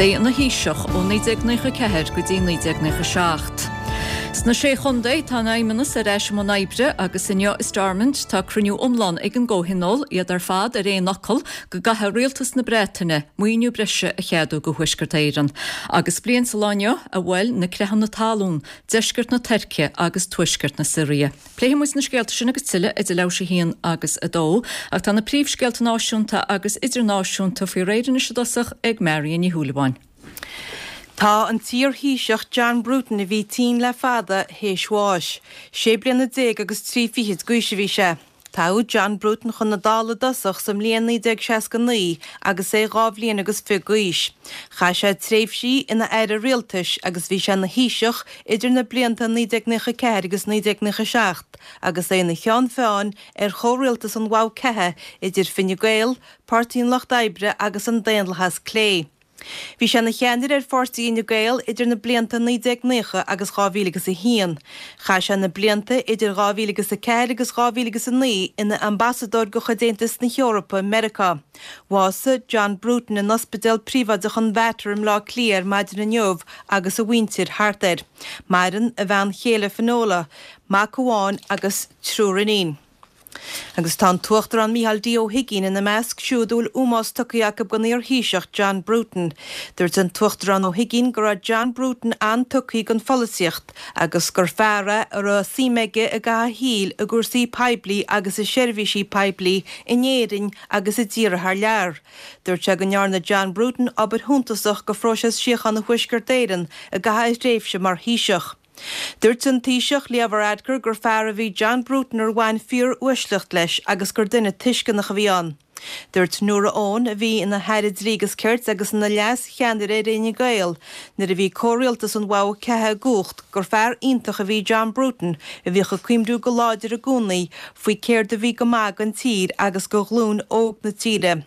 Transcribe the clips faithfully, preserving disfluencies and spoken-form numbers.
é ina Thaoiseach ó naoi déag nócha ceathair go dtí naoi déag nócha seacht. Sna sé chontae tá an Feidhmeannas ar ais i mbun oibre agus inniu i Stormont tá cruinniú iomlán ag an gcomhthionól, iad ar fad ar aon fhocal go gcaithfidh rialtas na Breataine maoiniú breise a cheadú go Thuaisceart Éireann. Agus bliain sa lá inniu a bhuail na creathanna talún, deisceart na Tuirce agus tuaisceart na Siria. Pléifidh muid na scéalta sin agus tuilleadh idir leathuair tar éis a haon agus a dó, ach tá na príomhscéalta náisiúnta agus idirnáisiúnta faoi réir anois i dtosach ag Marion Ní Shúilleabháin. Tá an t-iar-Thaoiseach John Bruton, a bhí tinn le fada, théis bháis. Sé bliana déag agus trí fichid d'aois a bhí sé. Toghadh John Bruton chun na Dála i dtosach sa mbliain naoi déag seasca naoi agus é dhá bhliain agus fiche d'aois. Chaith sé tréimhsí ina aire rialtais agus bhí sé ina Thaoiseach idir na blianta naoi déag nócha ceathair agus naoi déag nócha seacht agus é ina cheann feadhain ar chomhrialtas an Mhogha Ceatha idir Fine Gael, Páirtí an Lucht Oibre agus an Daonlathas Clé. Bhí sé ina cheannaire ar Pháirtí Fhine Gael idir na blianta naoi déag nócha agus dhá mhíle agus a haon. Chaith sé na blianta idir dhá mhíle agus a ceathair agus dhá mhíle agus a naoi ina ambasadóir de chuid Aontas na hEorpa i Meiriceá. Bhásaigh John Bruton in ospidéal príobháideach an Mhater i mBleá Cliath ar maidin inniu agus a mhuintir thart air. Maireann a bhean chéile Finola, mac amháin agus triúr iníon. Agus tá an tUachtarán Micheál D. Ó hUigínn ina measc siúd a bhfuil ómós tugtha acu don iar-Thaoiseach John Bruton. Dúirt an tUachtarán Ó hUigínn go raibh John Bruton an-tugtha don pholaitíocht agus gur fear é a raibh suim aige i gcaitheamh a shaoil i gcúrsaí poiblí agus i seirbhísí poiblí in Éirinn agus i dtíortha thar lear. Dúirt sé go ndearna John Bruton obair shuntasach do phróiseas síochána Thuaisceart Éireann i gcaitheamh a thréimhse mar Thaoiseach. Dúirt an Taoiseach Leo Varadkar gur fear a bhí John Bruton ar bhain fíor-uaisleacht leis agus gur duine tuisceanach a bhí ann. Dúirt Nóra Eoin, a bhí ina hAire Dlí agus Cirt agus ina leas-cheannaire ar Fhine Gael nuair a bhí comhrialtas an Mhogha Ceatha i gcumhacht, gur fear iontach a bhí John Bruton a bhíodh ag cuimhniú go láidir i gcónaí faoi céard a bhí go maith don tír agus do ghlúin óg na tíre.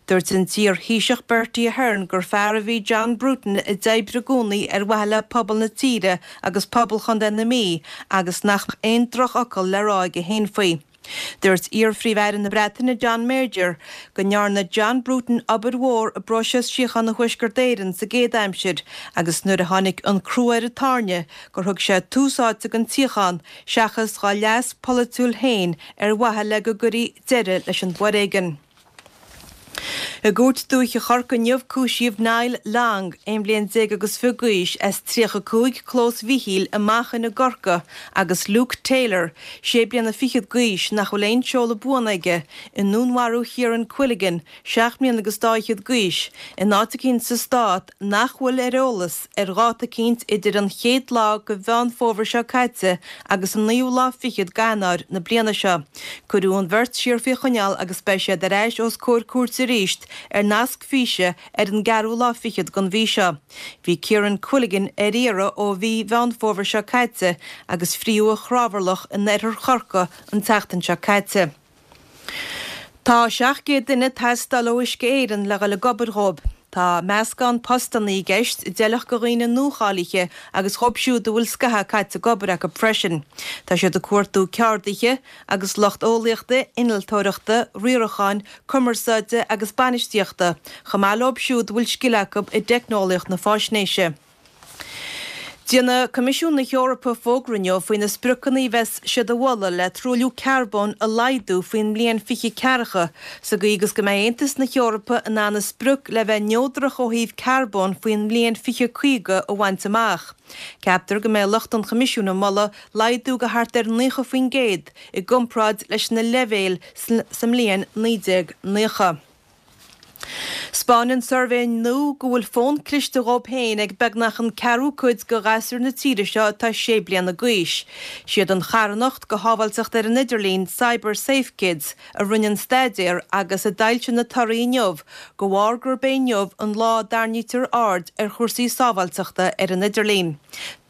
Dúirt an t-iar-Thaoiseach Bertie Ahern gur fear a bhí John Bruton a d'oibrigh i gcónaí ar mhaithe le pobal na tíre agus pobal Chontae na Mí agus nach aon drochfhocal le rá aige féin faoi. Dúirt iar-Phríomh-Aire na Breataine John Major go ndearna John Bruton obair mhór i bpróiseas síochána Thuaisceart Éireann sa gcéad aimsir agus nuair a tháinig an crú ar an tairne gur thug sé tús áite don tsíocháin seachas dá leas polaitiúil féin ar mhaithe le go gcuirí deireadh leis an bhforéigean. I gCúirt Dúiche Chorcaí inniu cúisíodh Niall Long, aon bhliain déag agus fiche d'aois, as tríocha cúig Clós Mhichíl i Manchain i gCorcaigh agus Luke Taylor, sé bliana fichead d'aois, nach bhfuil aon seoladh buan aige, i ndúnmharú Chiaran Quilligan, seacht mbliana agus dá fhichead d'aois, in áit eicínt sa stát nach bhfuil ar eolas ar dháta eicínt idir an chéad lá de Mheán Fómhair seo caite agus an naoú lá fichead d'Eanáir na bliana seo. Cuireadh an bheirt siar faoi choinneáil agus beidh siad ar ais os comhair cúirte arís ar nasc físe ar an gceathrú lá fichead den mhí seo. Bhí Ciaran Quilligan ar iarraidh ó mhí Mheán Fómhair seo caite agus fríodh a chrábhairleach in oirthear Chorcaí an tseachtain seo caite. Tá seacht gcéad duine ag teastáil ó Uisce Éireann le dhul ag obair dhóibh. Tá meascán postanna i gceist a d'fheilfeadh do dhaoine nuacháilithe agus dhóibh siúd a bhfuil scaitheamh caite ag obair acu freisin. Tá siad ag cuartú ceardaithe agus lucht eolaíochta, innealtóireachta, riaracháin, cumarsáide agus bainistíochta, chomh maith leo siúd a bhfuil scil acu i dteicneolaíocht na faisnéise. Déanfaidh Coimisiún na hEorpa fógra inniu faoi na spriocanna a bheas siad a mholadh le truailliú carbóin a laghdú faoin mbliain fiche ceathracha, sa gcaoi agus go mbeidh Aontas na hEorpa in ann a sprioc le bheith neodrach ó thaobh carbóin faoin mbliain fiche caoga a bhaint amach. Ceaptar go mbeidh lucht an Choimisiúin ag moladh laghdú go thart ar naocha faoin gcéad i gcomparáid leis na leibhéil sa mbliain naoi déag naocha. 'Spáineann suirbhé nua go bhfuil fón cliste dhóibh féin ag beagnach an ceathrú cuid de ghasúir na tíre seo atá sé bliana d'aois. Siad an charthanacht do shábháilteacht ar an idirlíon, Cyber Safe Kids, a rinne an staidéar agus a d'fhoilsigh na torthaí inniu, de bharr gurb é inniu an lá a dtarraingítear aird ar chúrsaí sábháilteachta ar an idirlíon.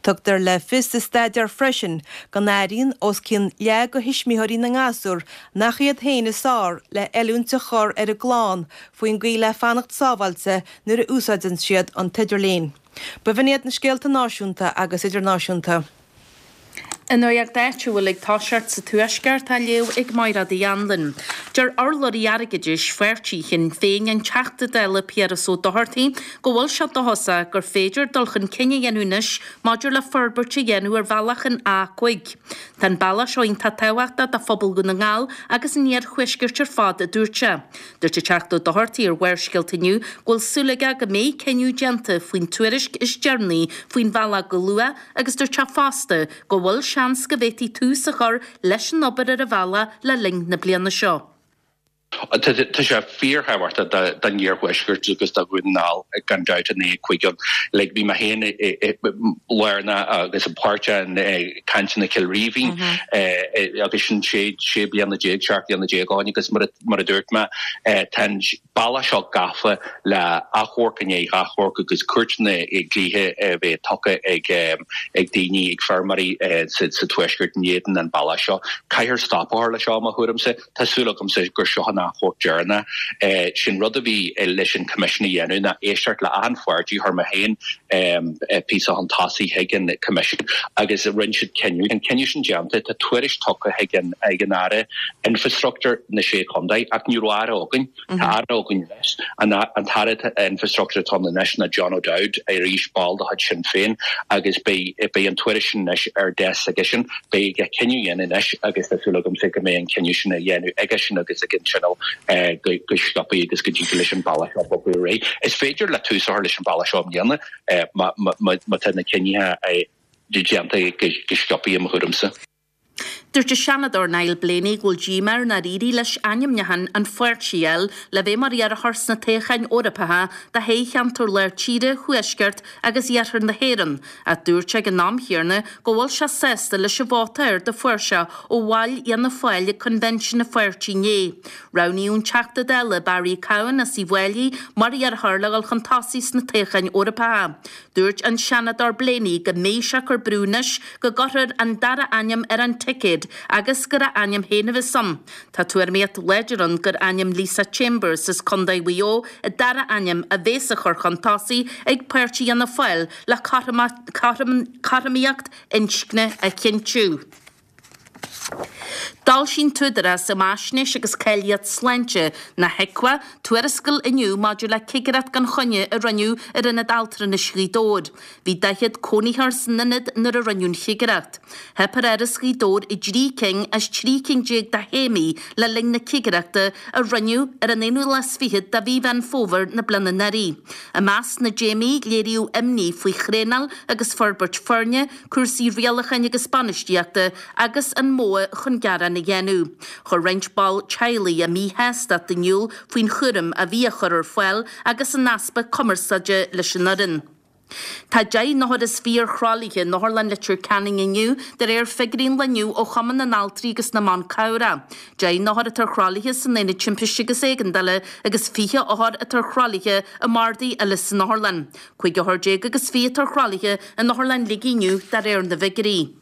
Tugtar le fios sa staidéar freisin go n-airíonn os cionn leath de thuismitheoirí na ngasúr nach iad féin is fearr le hoiliúint a chur ar a gclann faoin gcaoi le fanacht sábháilte nuair a úsáideann siad an t-idirlíon. B'in iad na scéalta náisiúnta agus idirnáisiúnta. An nuacht áitiúil ag toiseacht sa Tuaisceart á léamh ag Máire Uí Anluain. Deir urlabhraí airgeadais pháirtí Shinn Féin an Teachta Dála Piaras Ó Dochartaigh go bhfuil sé dóchasach gur féidir dul chun cinn a dhéanamh anois maidir le forbairt a dhéanamh ar bhealach an A cúig. Tá an bealach seo iontach tábhachtach do phobal Dhún na nGall agus an iarthuaiscirt ar fad, a dúirt sé. Dúirt an Teachta Ó Dochartaigh ar Bharrscéalta inniu go bhfuil súil aige go mbeidh cinneadh déanta faoin tuairisc is deireanaí faoin bhealach go luath agus dúirt sé fosta go bhfuil seans go bhféadfaí tús a chur leis an obair ar an bhealach le linn na bliana seo. Tá sé fíorthábhachtach don iarthuaisceart agus do Dhún na nGall gan dabht an A cúig ann. Like bhí mé féin lárnach agus páirteach i cainteanna Chill Rímhinn agus sin sé sé bliana déag seacht bliana déag ó shin agus mar a dúirt mé tá an bealach seo gafa le achomharc i ndiaidh achomharc agus cúirteanna dlíthe a bheith tugtha ag ag daoine ag feirmeoirí sa sa tuaisceart in éadan an bealach seo. Caithfear stop a chur leis seo i mo thuairimse. Tá súil agamsa gur seo an achomharc deireanach. Sin rud a bhí leis an Coimisiún a dhéanamh ná éisteacht le achan pháirtí chuir mé féin píosa chun tosaigh chuig an Coimisiún agus rinne siad cinneadh. An cinneadh sin déanta, tá tuairisc tugtha chuig an ag an Aire Infrastructure na Sé Chontae ach ní raibh aire againn. Tá aire againn anois. An an tAire Infrastructure atá ann anois ná John O'Dowd, arís ball de chuid Sinn Féin agus beidh beidh an tuairisc sin anois ar deasc aigesean. Beidh aige cinneadh a dhéanamh anois agus tá súil agamsa go mbeidh an cinneadh sin á dhéanamh aigesean agus ag an Tionól go go sciobtha agus go dtig leis an bealach seo bogadh ar aghaidh. Is féidir le tús a chur leis an bealach seo i mbliana má má tá na cinnithe déanta go sciobtha i mo thuairimse. Dúirt an Seanadóir Niall Blaney go bhfuil díomá air nár éirigh leis ainmniúchán an pháirtí a fháil le bheith mar iarrthóir sna toghcháin Eorpacha do thoghcheantar Lár Tíre, Thuaisceart agus Iarthar na hÉireann, ach dúirt sé ag an am chéanna go bhfuil sé sásta leis an vóta ard a fuair sé ó bhaill Fhianna Fáil ag coinbhinsiún an pháirtí inné. Roghnaíodh an Teachta Dála Barry Cowen as Uíbh Fhailí mar iarrthóir le dhul chun tosaigh sna toghcháin Eorpacha. Dúirt an Seanadóir Blaney go mbeidh sé ag cur brú anois go gcuirfear an dara ainm ar an ticéad agus gur a ainm féin a bheas ann. Tá tuairimíocht láidir ann gur ainm Lisa Chambers as Contae Mhaigh Eo an dara ainm a bheas á chur chun tosaigh ag páirtí Fhianna Fáil le cothromaíocht inscne a chinntiú. D'fhoilsigh an tÚdarás um Fhaisnéis agus Cáilíocht Sláinte, na HIQA, tuarascáil inniu maidir le cigireacht gan choinne a rinneadh ar Ionad Altranais Ghaoth Dobhair. Bhí daichead cónaitheoir san ionad nuair a rinneadh an chigireacht. Theip ar Áras Ghaoth Dobhair i dtrí cinn as trí cinn déag de théamaí le linn na cigireachta a rinneadh ar an aonú lá is fichead de mhí Mheán Fómhair na bliana anuraidh. I measc na dtéamaí, léiríodh imní faoi thraenáil agus forbairt foirne, cúrsaí rialacháin agus bainistíochta agus an modh chun gearán a dhéanamh. Chuir roinnt ball teaghlaigh a míshástacht in iúl faoin chúram a bhí á chur ar fáil agus an easpa cumarsáide leis an fhoireann. Tá deich n-othar is fiche ar thralaithe in Otharlann Leitir Ceanainn inniu, de réir figiúirí an lae inniu ó Chumann na nAltraí agus na mBan Cabhrach. Deich n-othar atá ar thralaithe san Aonad Timpiste agus Éigeandála agus fiche othar atá ar thralaithe i mbardaí eile san otharlann. Cúig othar déag agus fiche atá ar thralaithe in Otharlann Shligigh inniu de réir na bhfigiúirí.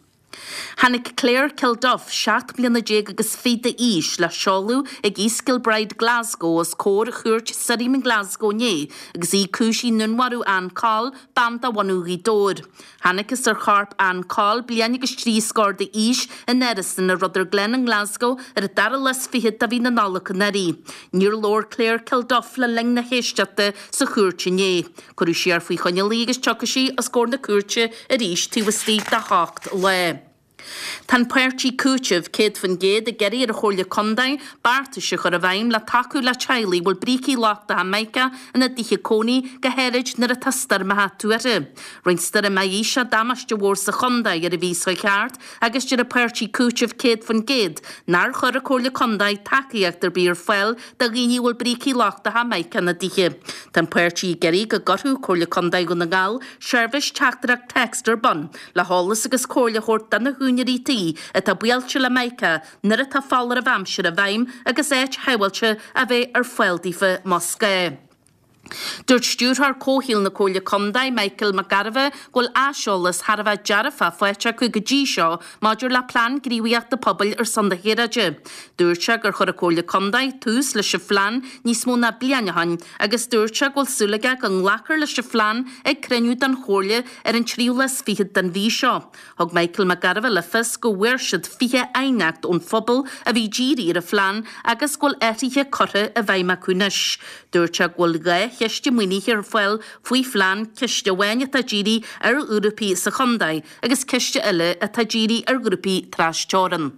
Tháinig Claire Kilduff, seacht mbliana déag agus fiche d'aois, le seoladh ag East Kilbride, Glasgow, os comhair Chúirt Sirriam in Glasgow inné agus í cúisithe i ndúnmharú Ann Coll, bean de bhunadh Ghaoth Dobhair. Thángthas ar chorp Ann Coll, bliain agus trí scór d'aois, in árasán i Rutherglen i nGlasgow ar an dara lá is fiche de mhí na Nollag anuraidh. Níor labhair Claire Kilduff le linn na héisteachta sa chúirt inné. Cuireadh siar faoi choinneáil í agus tiocfaidh sí os comhair na cúirte arís taobh istigh de hocht lá. Tá an páirtí Cúiteamh céad faoin gcéad ag iarraidh ar an Chomhairle Contae beartais a chur i bhfeidhm le tacú le teaghlaigh a bhfuil brící lochtacha mica ina dtithe cónaí, go háirid nuair atá stoirmeacha tuartha. Rinne Stoirm Isha damáiste mhór sa chontae ar an mhí seo chuaigh thart agus deir an páirtí Cúiteamh céad faoin gcéad nár chuir an Chomhairle Contae tacaíocht ar bith ar fáil do dhaoine a bhfuil brící lochtacha mica ina dtithe. Tá an páirtí ag iarraidh go gcuirfeadh Comhairle Contae Dhún na nGall seirbhís teachtaireacht text ar bun le heolas agus comhairle a thabhairt do na húinéirí tí atá buailte le mica nuair atá foláireamh aimsire i bhfeidhm agus áit shábháilte a bheith ar fáil daofa más gá. Dúirt Stiúrthóir Comhshaoil na Comhairle Contae, Michael Mac Gairbheith, go bhfuil aiseolas thar a bheith dearfach faighte acu go dtí seo maidir le Plean Gníomhaíochta Pobail ar son na hAeráide. Dúirt sé gur chuir an Chomhairle Contae tús leis an phlean níos mó ná bliain ó shin agus dúirt sé go bhfuil súil aige go nglacfar leis an phlean ag cruinniú den Chomhairle ar an tríú lá is fichead den mhí seo. Thug Michael Mac Gairbheith le fios go bhfuair siad fiche aighneacht ón phobal a bhí dírithe ar an phlean agus go bhfuil athruithe curtha i bhfeidhm acu anois. Dúirt sé go bhfuil dhá chiste maoinithe ar fáil faoin phlean, ciste amháin atá dírithe ar ghrúpaí sa chontae agus ciste eile atá dírithe ar ghrúpaí trasteorann.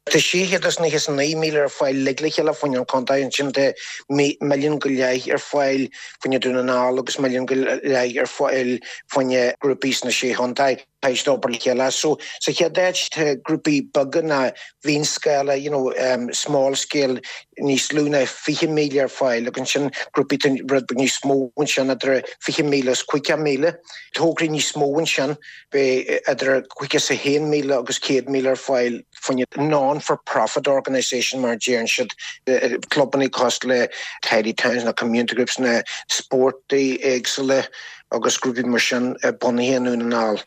Tá sé chéad is nócha is a naoi míle ar fáil uilig le chéile fá choinne an chontae, ansin tá milliún go leith ar fáil fá choinne Dún na nGall agus milliún go leith ar fáil fá choinne grúpaí sna sé chontae. Tá siad ag obair le chéile. So sa chéad áit tá grúpaí beaga ná mhionscála, you know, um, small scale, níos lú ná fiche míle ar fáil agus ansin grúpaí tá rud beag níos mó ansin idir fiche míle is caoga míle. Tograí níos mó ansin beidh idir caoga is a haon míle agus céad míle ar fáil fá choinne non-for-profit organisation mar a deireann siad, clubanna cosúil le Tidy Towns na community groups na spórtaí éagsúla agus grúpaí mar sin bunaithe i nDún na nGall.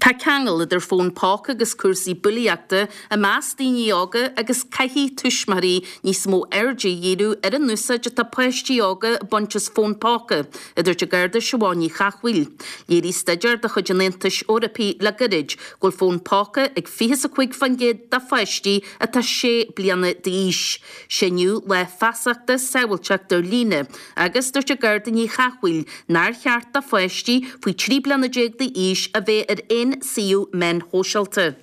Tá ceangal idir fón póca agus cúrsaí bulaíochta i measc daoine óga agus caithfidh tuismitheoirí níos mó airde a dhíriú ar an úsáid atá páistí óga ag baint as fón póca, a dúirt an Garda Siobhán Ní Chathmhaoil. Léirigh staidéar de chuid an Aontais Eorpaigh le gairid go bhfuil fón póca ag fiche is a cúig faoin gcéad de pháistí atá sé bliana d'aois. Sé inniu lá feasachta sábháilteacht ar líne agus dúirt an Garda Ní Chathmhaoil nár cheart do pháistí faoi trí bliana déag d'aois a bheith ar aon suíomh meáin shóisialta.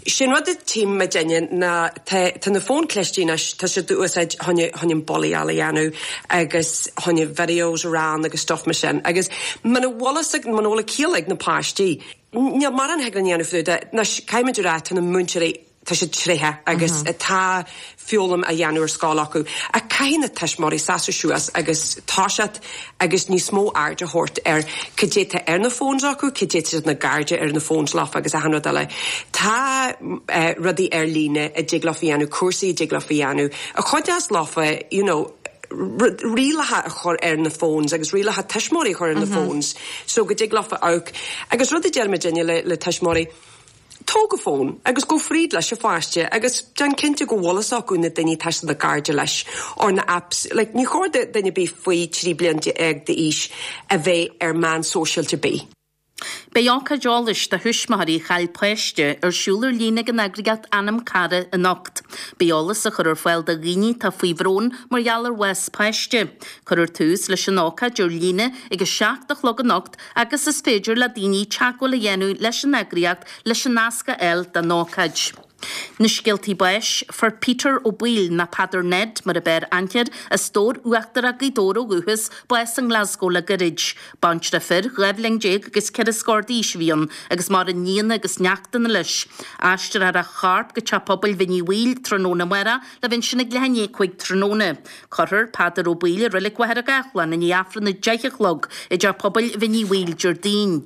Sin rud a tchím muidinne ná tá tá na fóin cliste anois, tá siad á úsáid chun chun an bulaíáil a dhéanamh agus chun videos a rán agus stuff mar sin. Agus muna bhfuil fhios ag muna bhfuil a ciall ag na páistí, níl mórán a thig linn a dhéanamh fá dtaobh de. Anois caithfimid a rá tá na múinteoirí tá siad tréitheach agus tá foghlaim á dhéanamh ar scoil acu. Ach caithfidh na tuismitheoirí seasamh suas agus toiseacht agus níos mó aird a thabhairt ar cad é tá ar na phones acu, cad é tá siad na cairde ar na phones leofa agus achan rud eile. Tá uh, rudaí ar líne a dtig leofa dhéanamh, cúrsaí a dtig leofa dhéanamh. A chuideos leofa, you know, rialacha a chur ar na phones agus rialacha tuismitheoirí a chur ar na phones, so go dtig leofa amharc. Agus rud a deir muidinne le, le tuismitheoirí, tóg a fón agus gabh fríd leis an pháiste agus déan cinnte go bhfuil fhios acu na daoine tá siad ina gcairde leis or na apps. Like, ní chóir do duine bith faoi trí bliana déag d'aois a bheith ar meán sóisialta ar bith. Beidh ócáid eolais do thuismitheoirí a chaill páiste ar siúl ar líne ag an eagraíocht Anam Cara anocht. Beidh eolas á chur ar fáil do dhaoine atá faoi bhrón mar gheall ar bhás páiste. Cuirfear tús leis an ócáid ar líne ag a seacht a chlog anocht agus is féidir le daoine teagmháil a dhéanamh leis an eagraíocht leis an nasc a fháil don ócáid. Na scéaltaí báis fuair Peter Ó Baoill nó Peadar Ned mar ab fhearr aithne air as Dobhar Uachtarach Ghaoth Dobhair ó dhúchas bás i nGlasgow le gairid. Baintreach fir dhá bhliain déag agus ceithre scór d'aois a bhí ann agus maireann nianna agus neachtanna leis. Aistreofar a chorp go teach pobail Bhinn Uí Bhaoill tráthnóna amárach le bheith ansin ag leath i ndiaidh a cúig tráthnóna. Cuirfear Peadar Ó Baoill i Reilig Mhachaire Gathlán i ndiaidh Aifreann a deich a chlog i dteach pobail Bhinn Uí Bhaoill Déardaoin.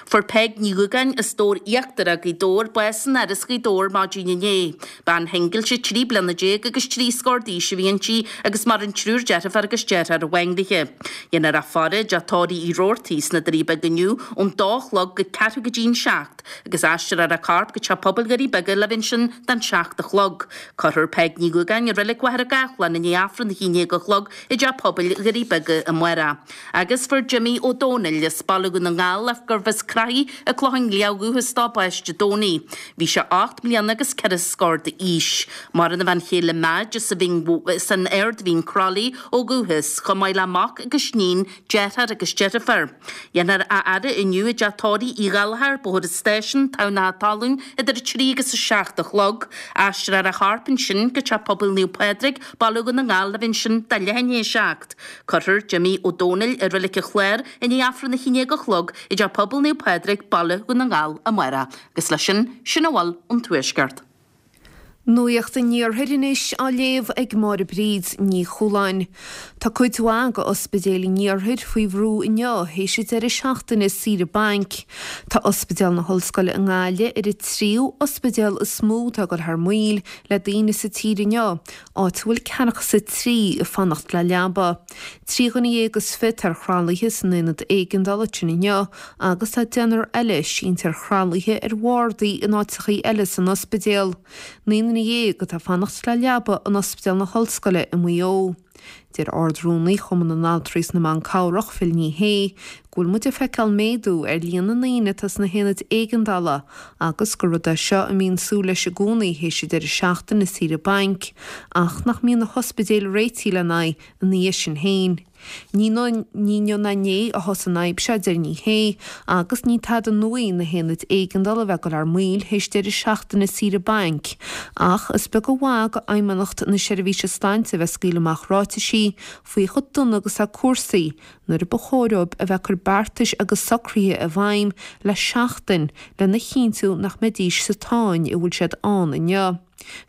Fuair Peig Ní Dhúgáin as Dobhar Íochtarach Ghaoth Dobhair bás in Áras Ghaoth Dobhair maidin inné. Bean shingilte trí bliana déag agus trí scór d'aois a bhí inti agus maireann triúr deirfiúr agus deartháir amháin léi. Dhéanfar a faire i dteach tórraimh Uí Robhartaigh sna Doirí Beaga inniu ón dó a chlog go ceathrú go dtí an seacht, agus aistreofar a corp go teach pobail Dhoirí Beaga le bheith ansin don seacht a chlog. Cuirfear Peig Ní Dhúgáin i Reilig Mhachaire Gathlán i ndiaidh Aifreann a haon déag a chlog i dteach pobail Dhoirí Beaga amárach. Agus fuair Jimmy Ó Dónaill as Baile Dhún na nGall gurbh as Craithí an Clochán Liath ó dhúchas dó bás Dé Domhnaigh. Bhí sé ocht mbliana agus ceithre scór d'aois. Maireann a bhean chéile Madge as an Aird Mhín Crolly ó dhúchas, chomh maith le mac agus níon, deartháir agus deirfiúr. Dhéanfar a fhaire inniu i dteach tórraimh Uí Ghallchóir, Bóthar an Stáisiúin, Tamhnach Talún, idir a trí agus a seacht a chlog. Aistreofar a chorp ansin go teach pobail Naomh Pádraig, Baile Dhún na nGall le bheith ansin do leath i ndiaidh a seacht. Cuirfear Jimmy Ó Dónaill i Reilig an Chláir i ndiaidh Aifreann a haon déag a chlog i dteach pobail Naomh Pádraig, Baile Dhún na nGall amárach. Agus leis sin, sin a bhfuil ón Tuaisceart. Nuacht an Iarthair anois á léamh ag Máire Bríd Ní Chualáin. Tá cuid mhaith de ospidéil an Iarthair faoi bhrú inniu théis an deireadh seachtaine saoire bainc. Tá Ospidéal na hOllscoile i nGaillimh ar an tríú ospidéal is mó atá ag dul thar maoil le daoine sa tír inniu, áit a bhfuil ceathracha is a trí ag fanacht le leaba. Trí dhuine dhéag is fiche ar thralaithe san aonad éigeandála sin inniu agus tá deichniúr eile sínte ar thralaithe ar bhardaí in áiteachaí eile san ospidéal. Naoi nduine dhéag atá ag fanacht le leaba in Ospidéal na hOllscoile i Maigh Eo. Deir Ard-Rúnaí Chumann na nAltraí is na mBan Cabhrach, Phil Ní Sheaghdha, go bhfuil muid ag feiceáil méadú ar líon na ndaoine atá sna haonaid éigeandála agus gur rud é seo a mbíonn súil leis i gcónaí théis an deireadh seachtaine saoire bainc, ach nach mbíonn na hospidéil réitithe lena aghaidh ina dhiaidh sin féin. Ní inniu ná inné a thosaigh an fhadhb seo, a deir Ní Shé, agus ní tada nua í na haonaid éigeandála a bheith ag dul thar maoil théis deireadh seachtaine saoire bainc, ach is beag an mhaith do Fheidhmeannacht na Seirbhíse Sláinte a bheith ag scaoileadh amach ráitisí faoi chomh dona agus atá cúrsaí nuair a ba chóir dóibh a bheith ag cur beartais agus socruithe i bhfeidhm le seachtain lena chinntiú nach mbeidís sa tsáinn a bhfuil siad ann inniu.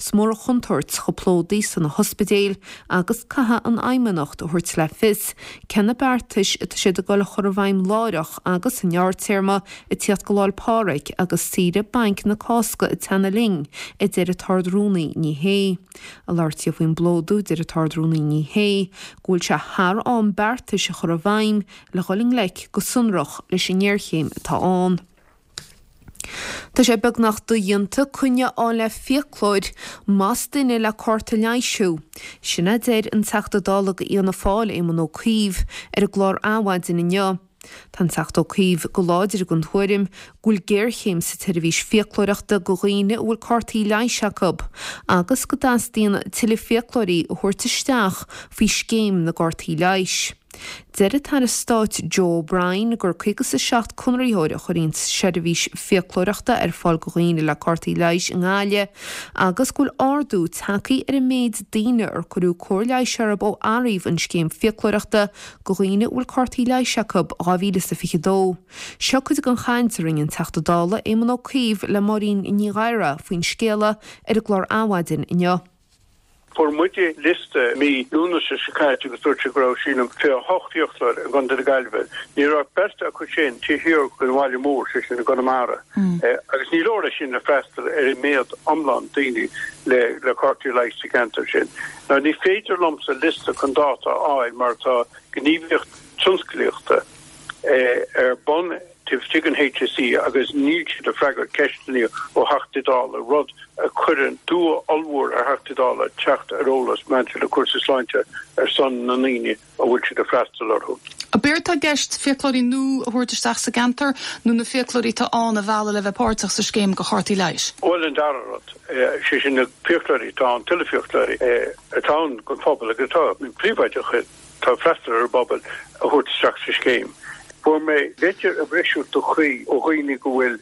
Is mór an chontúirt chomh plódaithe sna hospidéil agus caithfidh an Fheidhmeannacht a thabhairt le fios cé na beartais atá siad ag dul a chur i bhfeidhm láithreach agus sa ngearrtéarma ag tíocht go Lá 'le Pádraig agus saoire bainc na Cásca ag teannadh linn, a deir an tArd-Rúnaí Ní Shé. Ag labhairt di faoin bplódú, deir an tArd-Rúnaí Ní Shé go bhfuil sé thar am beartais a chur i bhfeidhm le dhul i ngleic go sonrach leis an ngéarchéim atá ann. Tá sé beagnach dodhéanta coinne a fháil le fiaclóir más duine le cárta leighis thú. Sin a deir an Teachta Dála do Fhianna Fáil, Éamon Ó Cuív, ar an gclár Adhmhaidin inniu. Tá an Teachta Ó Cuív go láidir den tuairim go bhfuil géarchéim sa tseirbhís fiaclóireachta do dhaoine a bhfuil cártaí leighis acu agus go dteastaíonn tuilleadh fiaclóirí a thabhairt isteach faoi scéim na gcártaí leighis. Deir an tAire Stáit Joe O'Brien gur caoga is a seacht conraitheoir a chuireann seirbhís fiaclóireachta ar fáil do dhaoine le cártaí leighis i nGaillimh agus go bhfuil ardú tagtha ar an méid daoine ar cuireadh cóir leighis orthu ó athraíodh an scéim fiaclóireachta do dhaoine a bhfuil cártaí leighis acu dhá mhíle is a fiche dó. Seo cuid den chaint a rinne an Teachta Dála Éamon Ó Cuív le Máirín Ní Ghadhra faoin scéala ar an gclár Adhmhaidin inniu. Fuair muide liosta mí Lúnasa seo caite agus dúirt sé go raibh, sílim, fiche a hocht fhiaclóir i gContae na Gaillimhe. Ní raibh ach beirt acu sin taobh thiar den bhaile mór, sé sin i gConamara. Agus ní leor é sin le freastal ar an méad iomlán daoine le le cártaí leighis sa cheantar sin. Now ní féidir liomsa liosta chun dáta a fháil mar tá gníomhaíocht tionsclaíochta ar bun taobh istigh den HSE agus níl siad ag freagairt ceisteanna ó Theachtaí Dála, rud a chuireann dua ollmhór ar Theachtaí Dála teacht ar eolas maidir le cúrsaí sláinte ar son na ndaoine a bhfuil siad ag freastal orthu. Ab éard atá i gceist fiaclóirí nua a thabhairt isteach sa gceantar nó na fiaclóirí atá ann a mhealladh le bheith páirteach sa scéim do chártaí leighis? Bhuel, an dara rud, sé sin na fiaclóirí atá ann, tuilleadh fiaclóirí atá ann don phobal agus atá príobháideach, atá ag freastal ar an bpobal a thabhairt isteach sa scéim. Fuair mé litir a bhrisfeadh do chroí ó dhaoine go bhfuil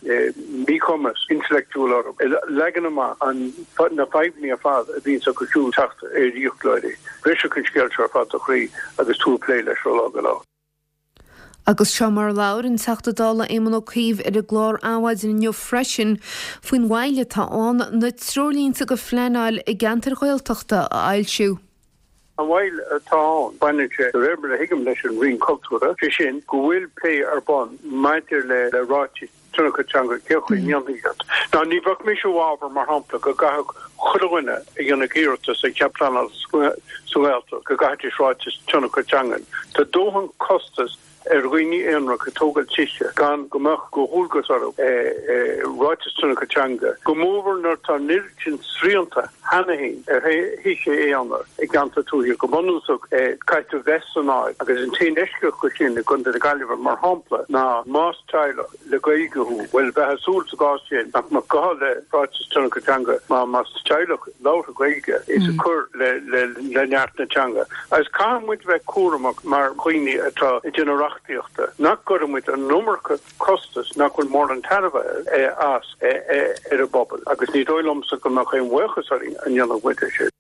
míchumas intleachtúil orthu, ag leagan amach na fadhbanna ar fad a bhíonns acu siúd teacht ar fhiaclóirí. Bhrisfeadh an scéal seo ar fad do chroí agus tú ag plé leis ó lá go lá. Agus seo mar a labhair an Teachta Dála Éamon Ó Cuív ar an gclár Adhmhaidin inniu freisin faoin mhoill atá ann na treoirlínte do phleanáil i gceantair Ghaeltachta a fhoilsiú. An mhoill atá ann, baineann sé, de réir mar a thuigim, leis an Roinn Cultúrtha, sé sin go bhfuil plé ar bun maidir le ráitis tionchair teanga, cén chaoi a ndéanfaí iad. Now, ní bheadh mise i bhfabhar, mar shampla, go gcaithfeadh chuile dhuine a dhéanfadh iarratas ar chead pleanála sa Ghaeltacht, go gcaithfidís ráiteas tionchair teangan. Tá dóthain costas ar dhaoine aonaracha ag tógáil tithe gan go mbeadh de dhualgas orthu ráiteas tionchair teanga, go mórmhór nuair atá an oiread sin srianta cheana féin ar thithe aonair i gceantar tuaithe. Go bunúsach, caithfidh tú bheith san áit, agus an t-aon eisceacht dho sin i gContae na Gaillimhe, mar shampla, ná más teaghlach le Gaeilge thú, bhuel, bheifeá ag súil sa gcás sin nach mbeadh gá le ráiteas tionchair teanga mar más teaghlach labhartha Gaeilge is ag cur le neart na teanga. Agus caithfidh muid bheith cúramach mar dhaoine atá ag déanamh reachtaíochta nach gcuirfidh muid an iomarca costas nach bhfuil mórán tairbhe as ar an bpobal agus ní dóigh liomsa go mbeadh aon bhuíochas orainn dá ndéanfadh muid é sin.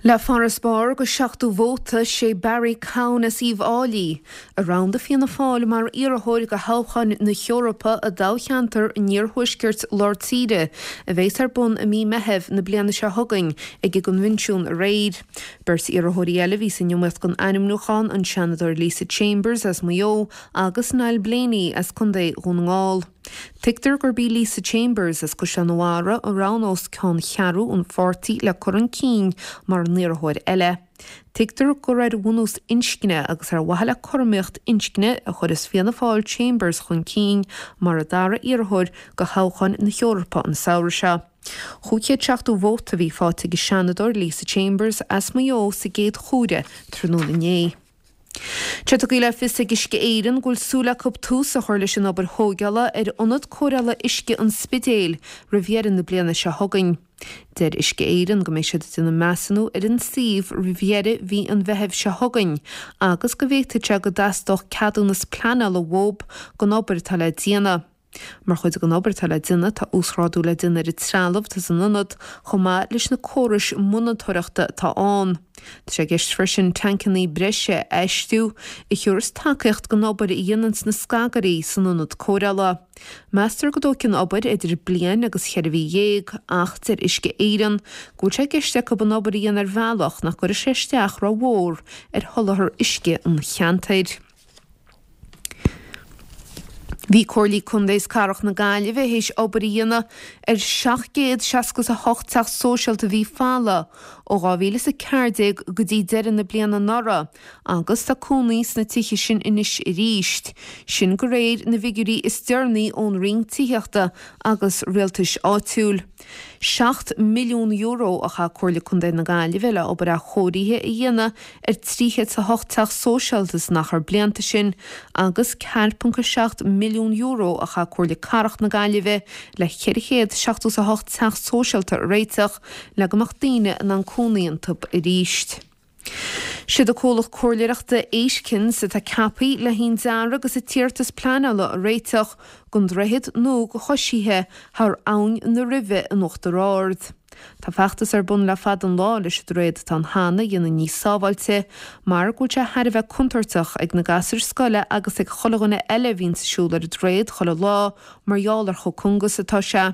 Le farasbarr de seachtó vóta sé Barry Cowen as Uíbh Fhailí a roghnaigh Fianna Fáil mar iarrthóir do thoghchán na hEorpa i dtoghcheantar an iarthuaiscirt lár tíre a bheas ar bun i mí Meithimh na bliana seo chugainn ag an gconvention aréir. Beirt iarrthóirí eile a bhí san iomaíocht don ainmniúchán an Seanadóir Lisa Chambers as Maigh Eo agus Niall Blaney as Contae Dhún na nGall. Tuigtear gurb í Lisa Chambers as Caisleán an Bharraigh a roghnós ceanncheathrú an pháirtí le cur chun cinn mar an iarrthóir eile. Tuigtear gur ar bhunús inscne agus ar mhaithe le cothromaíocht inscne a chuireas Fianna Fáil Chambers chun cinn mar a dara iarrthóir do thoghchán na hEorpa an samhradh seo. Cúig chéad seachtó vóta a bhí faighte ag an Seanadóir Lisa Chambers as Maigh Eo sa gcéad chomhaireamh tráthnóna inné. Tá tugtha le fios ag Uisce Éireann go bhfuil súil acu tús a chur leis an obair thógála ar ionad cóireála uisce an Spidéil roimh dheireadh na bliana seo chugainn. Deir Uisce Éireann go mbeidh siad ag déanamh measúnú ar an suíomh roimh dheireadh mhí an Mheithimh seo chugainn agus go bhféadfadh sé go dteastódh ceadúnas pleanála uathu don obair atá le déanamh. Mar chuid den obair atá le déanamh, tá uasghrádú le déanamh ar an trealamh atá san ionad, chomh maith leis na córais monatóireachta atá ann. Tá sé i gceist freisin tancanna breise a fheistiú, a thabharfas tacaíocht don obair a dhéananns na scagairí san ionad cóireála. Meastar go dtógfaidh an obair idir bliain agus cheithre mhí dhéag, ach deir Uisce Éireann go bhfuil sé i gceist acu an obair a dhéanamh ar bhealach nach gcuirfidh sé isteach rómhór ar sholáthar uisce an cheantair. Bhí Comhairlí Contae is Cathrach na Gaillimhe théis obair a dhéanamh ar seacht gcéad seasca is a hocht teach sóisialta a bhí folamh ó dhá mhíle is a ceathair déag go dtí deireadh na bliana anuraidh agus tá cónaí sna tithe sin anois arís, sin de réir na bhfigiúirí is deireanaí ón Roinn Tithíochta agus Rialtais Áitiúil. Seacht milliún euro a chaith Comhairle Contae na Gaillimhe le obair athchóirithe a dhéanamh ar trí chéad is a hocht teach sóisialta san achar blianta sin agus ceathair ponc a seacht milliún euro a chaith Comhairle Cathrach na Gaillimhe le ceithre chéad seachtó is a hocht teach sóisialta a réiteach le go mbeadh daoine in ann cónaí iontu arís. Siad an comhlacht comhairleoireachta Aitkens atá ceaptha le haon dearadh agus an t-iarratas pleanála a réiteach don droichead nua do choisithe thar Abhainn na Ruibhe in Uachtar Ard. Tá feachtas ar bun le fada an lá leis an droichead atá ann cheana a dhéanamh níos sábháilte mar go bhfuil sé thar a bheith contúirteach ag na gasúir scoile agus ag chuile dhuine eile a bhíonns ag siúl ar an droichead chuile lá mar gheall ar chomh cúng is atá sé.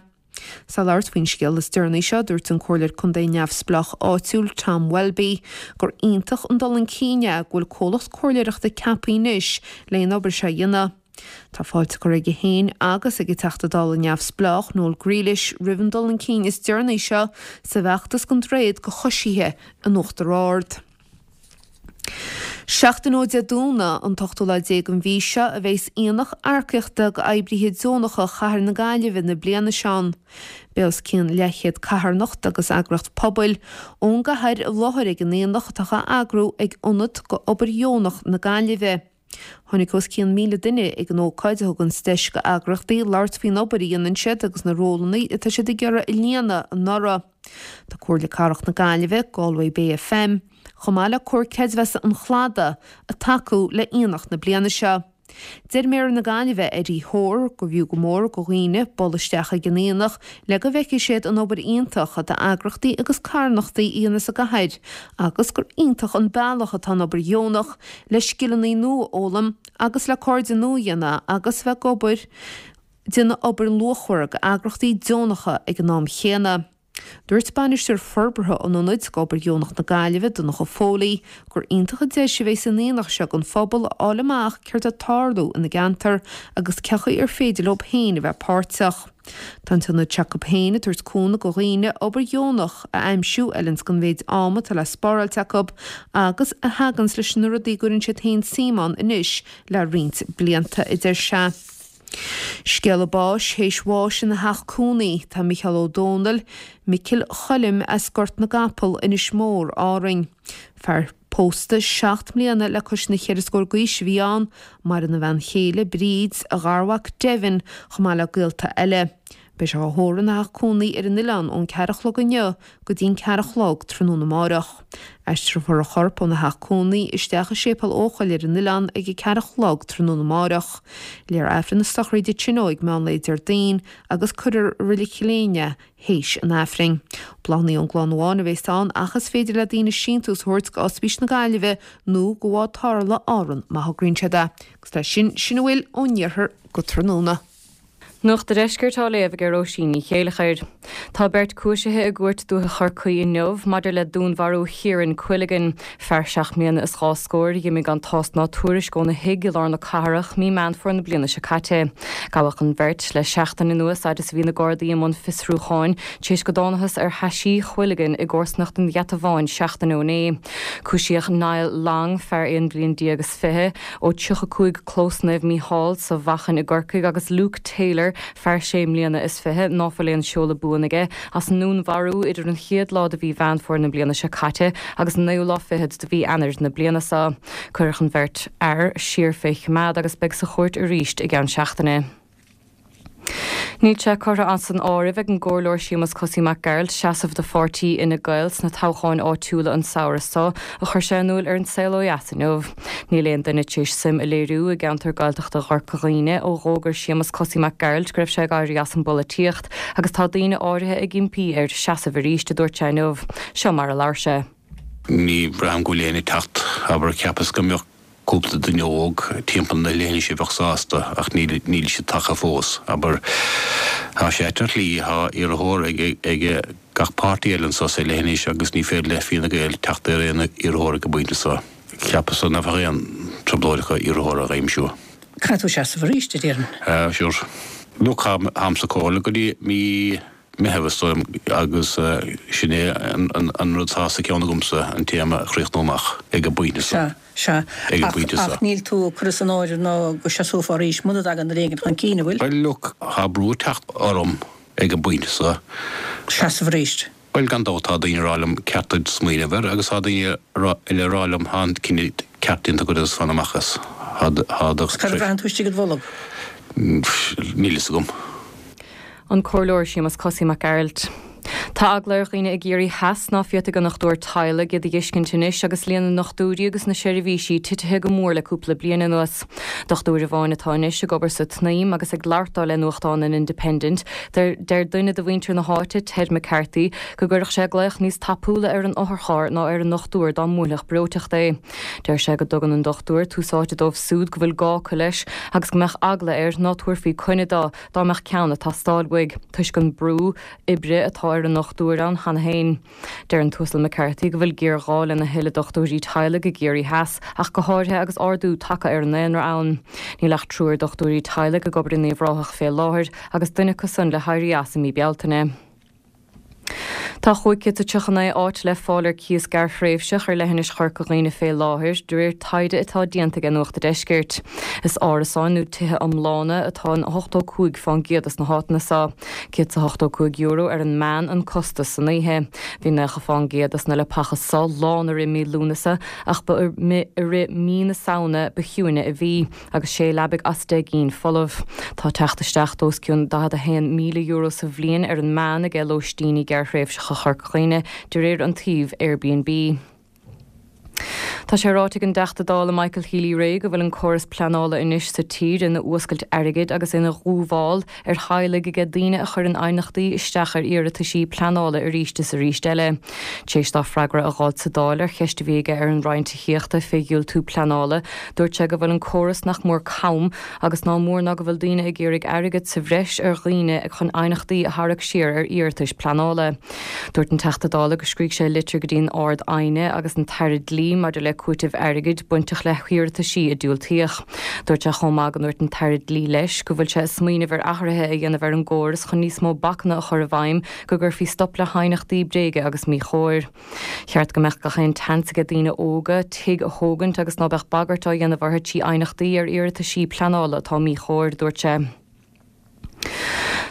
Is é ag labhairt faoin scéal is deireanaí seo, dúirt an Comhairleoir Contae neamhspleách áitiúil Tom Welby gur iontach an dul chun cinn é go bhfuil comhlacht comhairleoireachta ceaptha anois le an obair seo a dhéanamh. Tá fáilte curtha aige féin agus ag an Teachta Dála neamhspleách Noel Grealish roimh an dul chun cinn is deireanaí seo sa bhfeachtas don droichead do choisithe in Uachtar Ard. Seachtain ó Dé Domhnaigh, an t-ochtú lá déag den mhí seo, a bheas aonach earcaíochta d'oibrithe deonacha Chathair na Gaillimhe na bliana seo ann. Beidh os cionn leathchéad carthanacht agus eagraíocht pobail ón gcathair i láthair ag an aonach atá á eagrú ag Ionad d'Obair Dheonach na Gaillimhe. Tháinig os cionn míle duine ag an ócáid a thuganns deis d'eagraíochtaí labhairt faoin obair a dhéanann siad agus na rólanna atá siad ag iarraidh a líonadh anuraidh. Tá Comhairle Cathrach na Gaillimhe, Galway Bay FM, chomh maith le Comhar Creidmheasa an Chladaigh ag tacú le aonach na bliana seo. Deir Méara na Gaillimhe, Eddie Hoare, go bhfiú go mór do dhaoine bualadh isteach ag an aonach le go bhfeicfidh siad an obair iontach atá eagraíochtaí agus carthanachtaí a dhéanamh sa gcathair agus gur iontach an bealach atá an obair dheonach le scileanna nua a fhoghlaim agus le cairde nua a dhéanamh agus bheith ag obair déanamh obair luachmhar d'eagraíochtaí deonacha ag an am chéanna. Dúirt Bainisteoir Forbartha an Ionaid d'Obair Dheonach na Gaillimhe, Donncha Foley, gur iontach an deis a bheidh san aonach seo don phobal a fháil amach céard atá ag tarlú ina gceantar agus cén chaoi ar féidir leo féin a bheith páirteach. Tá an t-ionad s'acu féin ag tabhairt cúnamh do dhaoine obair dheonach a aimsiú a fheileanns don mhéid ama atá le spáráilt acu agus a thaganns leis na rudaí a gcuireann siad féin suim ann anois le roinnt blianta, a deir sé. Scéala báis théis bháis ina theach cónaí tá Micheál Ó Dónaill, Micil Choilm as Gort na gCapall, Inis Mór, Árainn. Fear pósta seacht mbliana le cois na cheithre scór d'aois a bhí ann, maireann a bhean chéile, Bríd, a gharmhac Devin, chomh maith le gaolta eile. Beidh sé á thórramh ina theach cónaí ar an oileán ón ceathair a chlog inniu go dtí'n ceathair a chlog tráthnóna amárach. Aistreofar a chorp óna theach cónaí isteach i Séipéal Eochaill ar an oileán ag a ceathair a chlog tráthnóna amárach. Léifear Aifreann na sochraide ansin ag meán lae Déardaoin agus cuirfear i Reilig Chill Éinne é théis an Aifrinn. Bláthanna ón gclann amháin a bheas ann ach is féidir le daoine síntiús a thabhairt go Ospís na Gaillimhe nó go Bhád Tarrthála Árann má thograíonn siad é. Agus leis sin, sin a bhfuil ón iarthar go tráthnóna. Nuacht an Deiscirt á léamh ag Róisín Ní Chéileachair. Tá beirt cúisithe i gCúirt Dúiche Chorcaí inniu maidir le dúnmharú Chiaran Quilligan, fear seacht mbliana is dhá scór a d'imigh gan tásc ná tuairisc óna thigh i lár na cathrach mí Meán Fómhair na bliana seo caite. Gabhadh an bheirt le seachtain anuas fhad is a bhí na Gardaí i mbun fiosrúcháin tar éis go dtánathas ar thaisí Quilligan i gcomharsanacht an Gheata Bháin seachtain ó inné. Cúisíodh Niall Long, fear aon bhliain déag is fiche, ó tríocha cúig Clós Naomh Mícheál sa Mhachain i gCorcaigh agus Luke Taylor, fear sé mbliana is fiche, ná fuil aon seoladh buan aige, as an ndúnmharú idir an chéad lá de mhí Mheán Fómhair na bliana seo caite agus an naoú lá fichead de mhí Eanáir na bliana seo. Cuireadh an bheirt fhear siar fé choimeád agus beidh sa chúirt arís i gceann seachtaine. Níl sé curtha as an áireamh ag an gComhairleoir Séamus Cosaí Mac Gearailt seasamh do pháirtí Fhine Gael sna toghcháin áitiúla an samhradh seo, a chuir sé in iúl ar An Saol Ó Dheas inniu. Níl aon duine tar éis suim a léiriú i gceantar Gaeltachta Chorca Dhuibhne ó dh'fhógair Séamus Cosaí Mac Gearailt go raibh sé ag éirí as an bpolaitíocht agus tá daoine áirithe ag impí air seasamh arís, a dúirt sé inniu. Seo mar a labhair sé. Ní bhraithim go bhfuil éinne ag teacht, abair, cheapas go mbeadh cúpla duine óg timpeall na leithinse a bheadh sásta ach níl níl siad tagtha fós. Abair, tá sé ait ar shlí, tá iarrthóir ag ag gach páirtí eile anso sa leithinis agus ní féidir le Fine Gael teacht ar aon iarrthóir ag an bpointe seo. Cheapas nach bheadh aon trioblóid acu iarrthóir a aimsiú. Caithfidh tú seasamh arís, a déarfainn. Uh, sure. Look, táim sa chomhairle go dtí mí Meitheamh is dóigh agus sin é an rud atá sa cheann agamsa, an téarma a chríochnú amach ag an bpointe seo. Sea, sea. Ag an bpointe seo. Ach níl tú ag cur san áireamh ná go seasófá arís muna dtagann rud éigin chun cinn, an bhfuil? Bhuel, look, tá brú ag teacht orm ag an bpointe seo. Seasamh arís. Bhuel, gan dabht tá daoine ag rá liom ceart duit smaoineamh air agus tá daoine eile ag rá liom tá an cinneadh ceart déanta agat agus fan amach as. Tá do. Cad a bhraitheann tú istigh id bholg? Níl fhios agam. An Comhairleoir Séamus Cosaí Mac Gearailt. Tá eagla ar dhaoine i gCiarraí Theas ná féadfaidh a ndochtúir teaghlaigh iad a dh'fheiscint anois agus líon na ndochtúirí agus na seirbhísí titithe go mór le cúpla bliain anuas. Dochtúir amháin atá anois ag obair sa tSnaidhm agus ag labhairt dó le nuachtán an Independent, deir duine de mhuintir na háite, Ted McCarthy, go gcuirfeadh sé glaoch níos tapúla ar an otharcharr ná ar an ndochtúir dá mbuailfeadh breoiteacht é. Deir sé go dtugann an dochtúir tús áite dóibh súd go bhfuil gá acu leis agus go mbeadh eagla air ná tabharfaí coinne dó dá mbeadh ceann ag teastáil uaidh, toisc an brú oibre atá ar an ndochtúir ann cheana féin. Deir an tUasal McCarthy go bhfuil géarghá lena thuilleadh dochtúirí teaghlaigh i gCiarraí Theas, ach go háirithe agus ardú tagtha ar an ndaonra ann. Níl ach triúr dochtúirí teaghlaigh ag obair in Uíbh Ráthach fé láthair agus duine acu san le héirí as i mí Bealtaine. Tá chúig chéad is tríocha naoi áit le fáil ar cíos gearrthréimhseach ar leithinis Chorca Dhuibhne fé láthair, de réir taighde atá déanta ag Nuacht a' Deiscirt. Is árasáin nó tithe iomlána atá in ochtó cúig fán gcéad dos na háiteanna seo. Céad 's a hochtó cúig euro ar an meán an costas san oíche. Bhí naocha fán gcéad dos na leapacha seo lán i rith mí Lúnasa ach ba i rith mí na Samhna ba chiúine a bhí, agus sé leabaidh as deich gcinn folamh. Tá teacht isteach d'os cionn daichead a haon míle euro sa bhliain ar an meán aige lóistíní gearrthréimhseacha Chorca Dhuibhne, de réir an tsuímh Airbnb. Tá sé ráite ag an dTeachta Dála Michael Healy-Rae go bhfuil an córas pleanála anois sa tír ina fhuascailt airgid agus ina dhúmhál ar theaghlaigh aige daoine a chuireann aighneachtaí isteach ar iarrataisí pleanála arís is arís eile. Tar éis dó freagra a dh'fháilt sa Dáil ar cheist a bhí aige ar an Roinn Tithíochta fé dhiúltú pleanála, dúirt sé go bhfuil an córas nach mór cam agus ná mór ná go bhfuil daoine ag iarraidh airgead sa bhreis ar dhaoine chun aighneachtaí a tharrac siar ar iarratais pleanála. Dúirt an Teachta Dála go scrígh sé litir go dtí an Ard-Aighne agus an tAire Dlí maidir le cúiteamh airgid bainteach le hiarrataisí a diúltaíodh. Dúirt sé chomh maith go ndúirt an tAire Dlí leis go bhfuil sé ag smaoineamh ar athruithe a dhéanamh ar an gcóras chun níos mó bacanna a chur i bhfeidhm go gcuirfí stop le haighneachtaí bréige agus míchóir. Cheart go mbeadh gach aon tseans aige daoine óga tigh a thógaint agus ná beadh bagairt á dhéanamh orthu trí aighneachtaí ar iarrataisí pleanála atá míchóir, dúirt sé.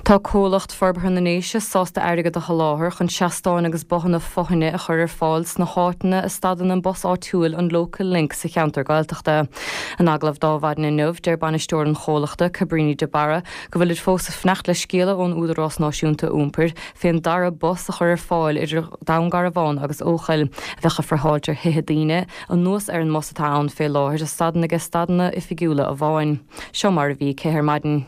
Tá Comhlacht Forbartha na nDéise sásta airgead a sholáthar chun seastáin agus bothanna fothaine a chur ar fáil sna háiteanna a stadann an bus áitiúil an Local Link sa cheantar Gaeltachta. In agallamh do Adhmhaidin inniu, deir bainisteoir an chomhlachta, Cabrini de Barra, go bhfuilid fós ag fanacht le scéala ón Údarás Náisiúnta Iompair fén dara bus a chur ar fáil idir Dún Garbhán agus Eochaill, a bheadh ag friotháilt ar thithe daoine, anuas ar an mbus atá ann fé láthair a stadann ag stadanna oifigiúla amháin. Seo mar a bhí aici ar maidin.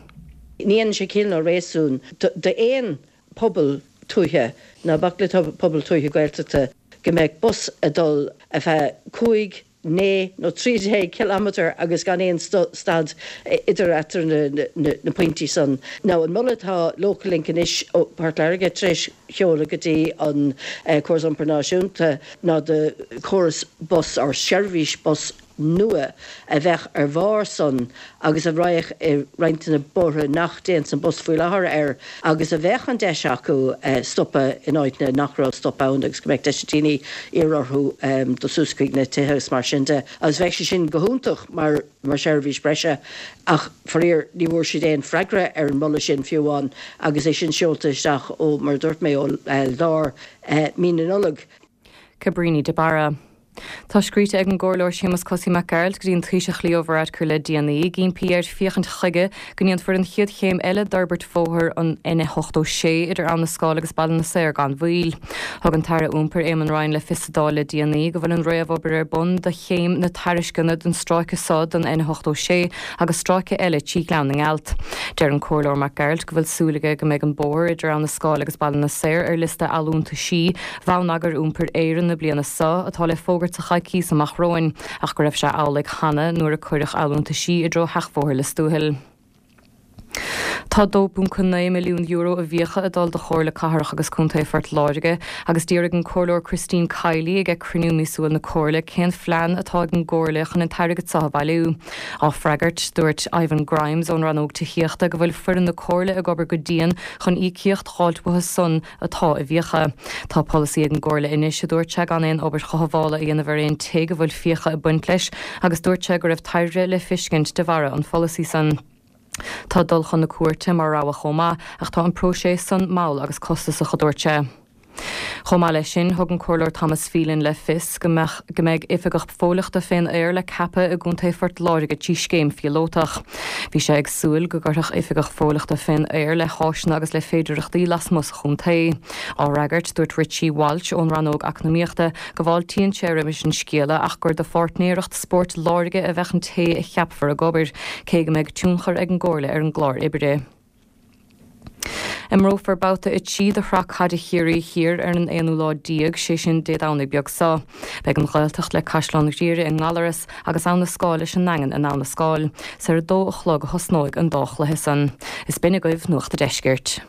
Ní dhéanann sé ciall ná réasún d'aon pobal tuaithe, ná bac le pobal tuaithe Gaeltachta, go mbeadh bus ag dul ar feadh cúig, naoi nó trí déag cileámeter agus gan aon stad idir eatar na pointí san. Now an moladh atá Local Link anois ó Port Láirge tar éis sheoladh go dtí an Córas Iompair Náisiúnta ná do chóras bus or seirbhís bus nua a bheadh ar bharr san agus a raghadh i roinnt de na bóithre nach dtéann an bus faoi láthair air agus a bheadh an deis acu stopadh in áiteanna nach raibh stop ann agus go mbeadh deis ag daoine iarraidh orthu dul suas chuig na tithe agus mar sin de. Agus bheadh sé sin go hiontach mar mar sheirbhís breise ach faraor ní bhfuair siad aon freagra ar an moladh sin fiú amháin agus é sin seolta isteach ó mar a dúirt mé ó lár mí na Nollag. Cabrini de Barra. Tá scríte ag an gComhairleoir Séamus Cosaí Mac Gearailt go dtí an Taoiseach Leo Varadkar le déanaí, ag impí air féachaint chuige go ndéanfar an chéad chéim eile d'fhorbairt bhóthar an N ochtó sé idir Abhainn na Scáil agus Baile na Saor gan mhoill. Thug an tAire Iompair Éamon Ryan le fios sa Dáil le déanaí go bhfuil an réamhobair ar bun do chéim na tairisceana don stráice so don N ochtó sé agus stráice eile trí Ghleann na nGealt. Deir an Comhairleoir Mac Gearailt go bhfuil súil aige go mbeidh an bóthar idir Abhainn na Scáil agus Baile na Saor ar liosta allúntaisí Bhonneagar Iompair Éireann na bliana so atá le fógairt sa choicís amach romhainn, ach go raibh sé amhlaidh cheana nuair a cuireadh allúntaisí i dtreo Sheachbhóthar Lios Tuathail. Tá dó ponc naoi milliún euro i bhfiacha ag dul do Chomhairle Cathrach agus Contae Phort Láirge agus d'fhiafraigh an Comhairleoir Christine Kiely ag cruinniú míosúil na Comhairle cén phlean atá ag an gComhairle chun an t-airgead seo a bhailiú. Á freagairt, dúirt Ivan Grimes ón rannóg tithíochta go bhfuil foireann na Comhairle ag obair go dian chun íocaíocht a fháilt uathu san atá i bhfiacha. Tá polasaí ag an gComhairle anois a dúirt sé gan aon obair chothabhála a dhéanamh ar aon tigh a bhfuil fiacha ag baint leis agus dúirt sé go raibh tairbhe le feiscint de bharra an pholasaí san. Tá dul chun na cúirte mar rogha chomh maith ach tá an próiseas san mall agus costasach a dúirt sé. Chomh maith leis sin, thug an Comhairleoir Thomas Phelan le fios go mbeadh go mbeidh oifigeach fóillíochta fén aer le ceapadh i gContae Phort Láirge trí scéim phíolótach. Bhí sé ag súil go gcuirfeadh oifigeach fóillíochta fén aer le háiseanna agus le féidearthachtaí lasmuigh sa chontae. Á fhreagairt, dúirt Richie Walsh ón Rannóg Eacnamaíochta go bhfáiltíonn sé roimis an scéala ach gur do pháirtnéireacht Spóirt Láirge a bheadh an té a cheapfar ag obair, cé go mbeidh tionchar ag an gComhairle ar an gclár oibre. Imreofar babhta a trí de Shraith Caide Chiarraí Thiar ar an aonú lá déag, sé sin Dé Domhnaigh beag seo. Beidh an Ghaeltacht le Caisleán Ghriaire i nGallaras agus Abha na Scáil leis an nDaingean in Abha na Scáil. Is ar a dó a chlog a thosnóidh an dá chluiche san. Is b'in agaibh Nuacht a' Deiscirt.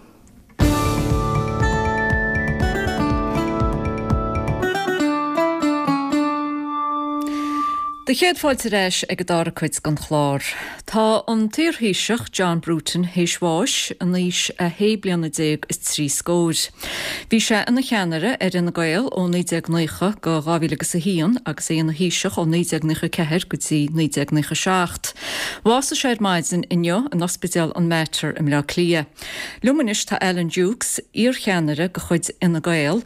Do chéad fáilte ar ais ag an dara cuid den chlár. Tá an t-iarThaoiseach John Bruton théis bháis in aois a shé bliana déag is trí scóir. Bhí sé ina cheannaire ar Fhine Gael ó naoi déag naocha go dhá mhíle agus a haon agus é ina Thaoiseach ó naoi déag naocha a ceathair go dtí naoi déag naocha a seacht. Bhásaigh sé ar maidin inniu in Ospidéal an Mater i mBleá Cliath. Liom anois tá Alan Dukes, iarcheannaire de chuid Fhine Gael.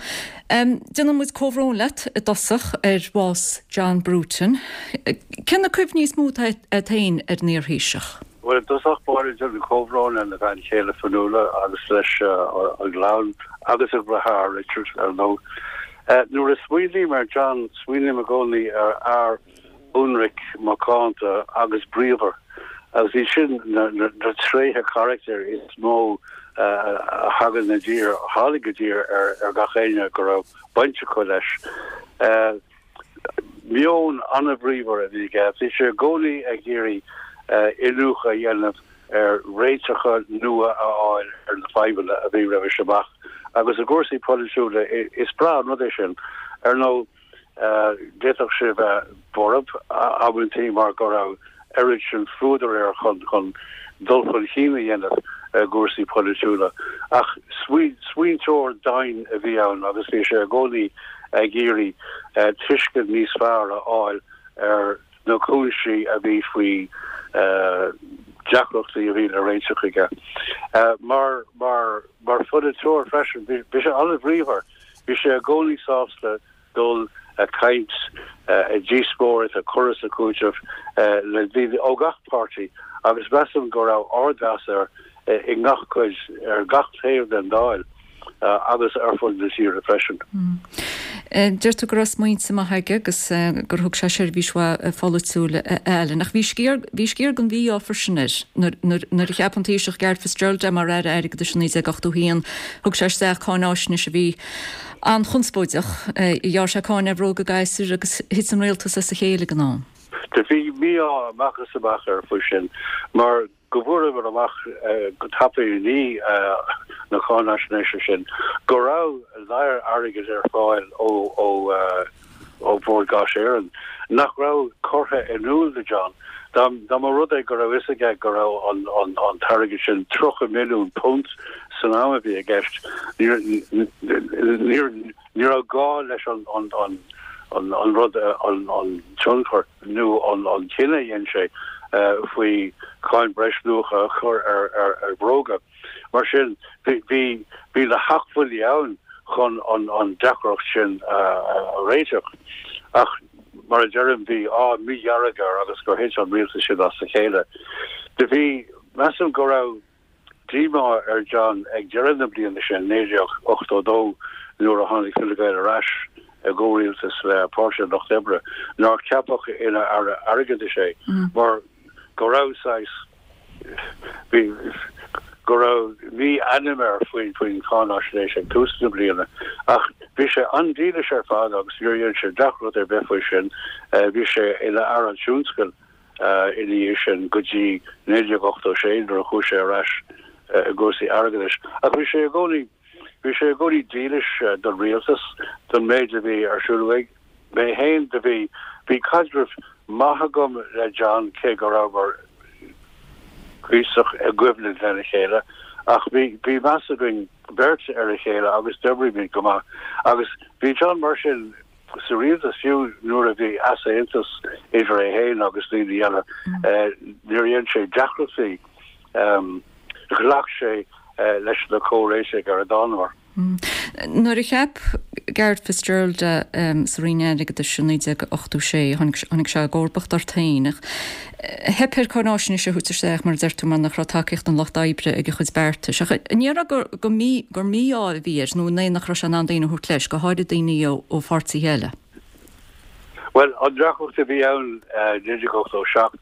Déanann muid comhbhrón leat i dtosach ar bhás John Bruton. Cé na cuimhní is mó atá agat féin ar an iarThaoiseach? Bhuel, i dtosach báire déanaim comhbhrón lena bhean chéile Fionnuala agus leis an gclann agus a dheartháir Richard, ar ndóigh. Nuair a smaoiním ar John, smaoiním i gcónaí ar fhear ionraic, macánta agus bríomhar agus iad sin na tréithe carachtair is mó a thagann i dtír, a tháinig i dtír ar gach éinne go raibh baint acu leis. Meon an-bhríomhar a bhí aige. Bhí sé i gcónaí ag iarraidh iniúchadh a dhéanamh ar réiteacha nua a fháil ar na fadhbanna a bhí roimis amach agus i gcúrsaí polaitiúla is breá an rud é sin. Ar ndóigh, D'fhéadfadh sé bheith borb amantaí mar go raibh oiread sin fuadair air chun chun dul chun cinn a dhéanamh i gcúrsaí polaitiúla. Ach smaointeoir domhain a bhí ann agus bhí sé i gcónaí ag iarraidh tuiscint níos fearr a fháil ar na cúinsí a bhí faoi deacrachtaí a bhí le réiteach aige. Mar mar mar pholaiteoir freisin, bhí sé an-bhríomhar, bhí sé i gcónaí sásta dul ag caint, ag díospóireacht, ag cur is ag cúiteamh le daoine ó gach páirtí agus measaim go raibh ardmheas air i ngach cuid, ar gach taobh den Dáil agus ar fud na tíre freisin. Deir tú go raibh smaointe maithe aige agus gur thug sé seirbhís mhaith pholaitiúil a Alan. Ach bhí sciar, bhí sciar den mhí-ádh freisin air. Nuair, nuair a cheap an Taoiseach Garret Fitzgerald é mar Aire Airgeadais i naoi déag ochtó a haon, thug sé isteach cáináisnéis a bhí an-chonspóideach. Ghearr sé cáin ar bhróga gasúir agus thit an rialtas as a chéile ag an am. Do bhí mí-ádh amach is amach air faoi sin mar go bhfuaireamar amach go tapaidh i ndiaidh na cáinaisnéise sin go raibh lear airgid ar fáil ó ó ó Bhord Gáis Éireann nach raibh curtha in iúl do John. Dá dá mba rud é go raibh fhios aige go raibh an an an t-airgead sin tríocha milliún punt san am a bhí i gceist, níor níor ní raibh gá leis an an an an an rud an an tionchar nó an an cinneadh a dhein sé faoi cháin breisluacha a chur ar ar ar bhróga. Mar sin, bhí bhí bhí na hacmhainní ann chun an an deacracht sin a a réiteach. Ach mar a deirim, bhí ádh mídhearg air agus gur thit an rialtas sin as a chéile. Do bhí, measaim go raibh díomá ar John ag deireadh na bliana sin, naoi déag ochtó dó, nuair a tháinig Fine Gael ar ais i gcomhrialtas le Páirtí an Lucht Oibre, nár ceapadh ina Aire Airgeadais é mar go raibh saghas, bhí, go raibh mí-ainm air faoin, faoin cháinaisnéis ag tús na bliana. Ach bhí sé an-dílis ar fad agus níor dhein sé deacracht ar bith faoi sin. Bhí sé ina Aire Tionscail ina dhiaidh sin go dtí naoi déag ochtó sé nuair a chuaigh sé ar ais i gcúrsaí airgeadais. Ach bhí sé i gcónaí, bhí sé i gcónaí dílis don rialtas, don méid a bhí ar siúl uaidh. Mé féin, do bhí, bhí caidreamh maith agam le John cé go rabhamar cuíosach i gcoimhlint lena chéile ach bhí, bhí meas againn beirt ar a chéile agus d'oibrigh muid go maith. Agus bhí John mar sin sa rialtas fiú nuair a bhí easaontas idir é féin agus daoine eile, níor dhein sé deacrachtaí, ghlac sé leis na comhréitigh ar a dtánamar. Nuair a cheap Garret Fitzgerald é sa Roinn Airgeadais i naoi déag ochtó sé, tháinig sé i gcomharbacht ort féin. Ach theip air cáinaisnéis a thabhairt isteach, mar a deir tú, mar nach raibh tacaíocht an Lucht Oibre ag a chuid beartais. Ach an ndéarfá gur mí-ádh a bhí air nó an é nach raibh sé in ann daoine a thabhairt leis, go háirid daoine ó pháirtithe eile? Bhuel, an deacracht a bhí ann i naoi déag ochtó seacht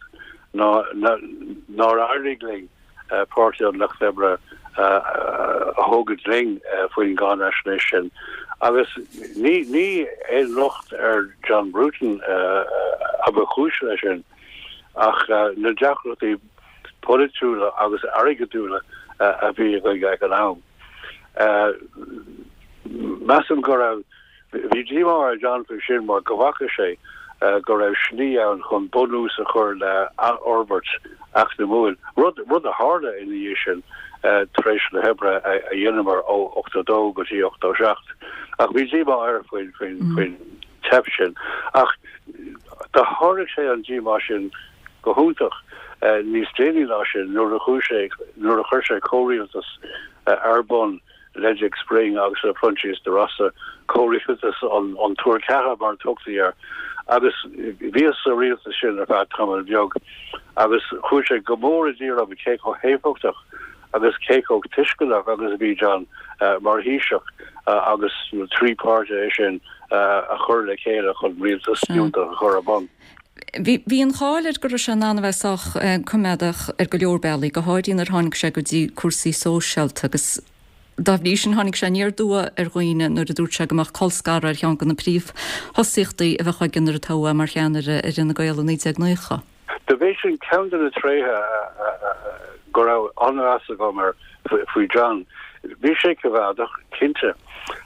ná nár éirigh linn Páirtí an Lucht Oibre a thógaint linn faoin gcáinaisnéis sin. Agus ní ní aon locht ar John Bruton a ba chúis leis sin ach na deacrachtaí polaitiúla agus airgeadúla a bhí againn ag an am. Measaim go raibh Bhí díomá ar John faoi sin mar go bhfaca sé go raibh slí ann chun bunús a chur le athfhorbairt eacnamúil, rud rud a tharla ina dhiaidh sin tar éis na hoibre a dheineamar ó ochtó dó go dtí ochtó seacht. Ach bhí díomá air faoin faoin faoin teip sin. Ach do sháraigh sé an díomá sin go hiontach níos déanaí ná sin nuair a chuaigh sé nuair a chuir sé comhrialtas ar bun le Dick Spring agus le Proinsias De Rossa, comhrialtas an tuar ceatha mar a tugtaí air, agus bhíos sa rialtas sin ar feadh tamall beag agus chuaigh sé go mór i dtír orm cé chomh héifeachtach agus cé chomh tuisceanach agus a bhí John mar Thaoiseach agus na trí páirtithe sin a chur le chéile chun rialtas fiúntach a chur ar bun. Bhí an cháil air go raibh sé in ann a bheith sách coimeádach ar go leor bealaí, go háirithe nuair a tháinig sé go dtí cúrsaí sóisialta agus dá bhrí sin tháinig sé aniar aduaidh ar dhaoine nuair a dúirt sé go mbeadh colscaradh ar cheann de na príomhthosaíochtaí a bheadh aige nuair a toghadh é mar cheannaire ar Fhine Gael i naoi déag nócha. Do b'é sin ceann de na tréithe go raibh an-mheas agam air faoi John. Bhí sé coimheádach, cinnte,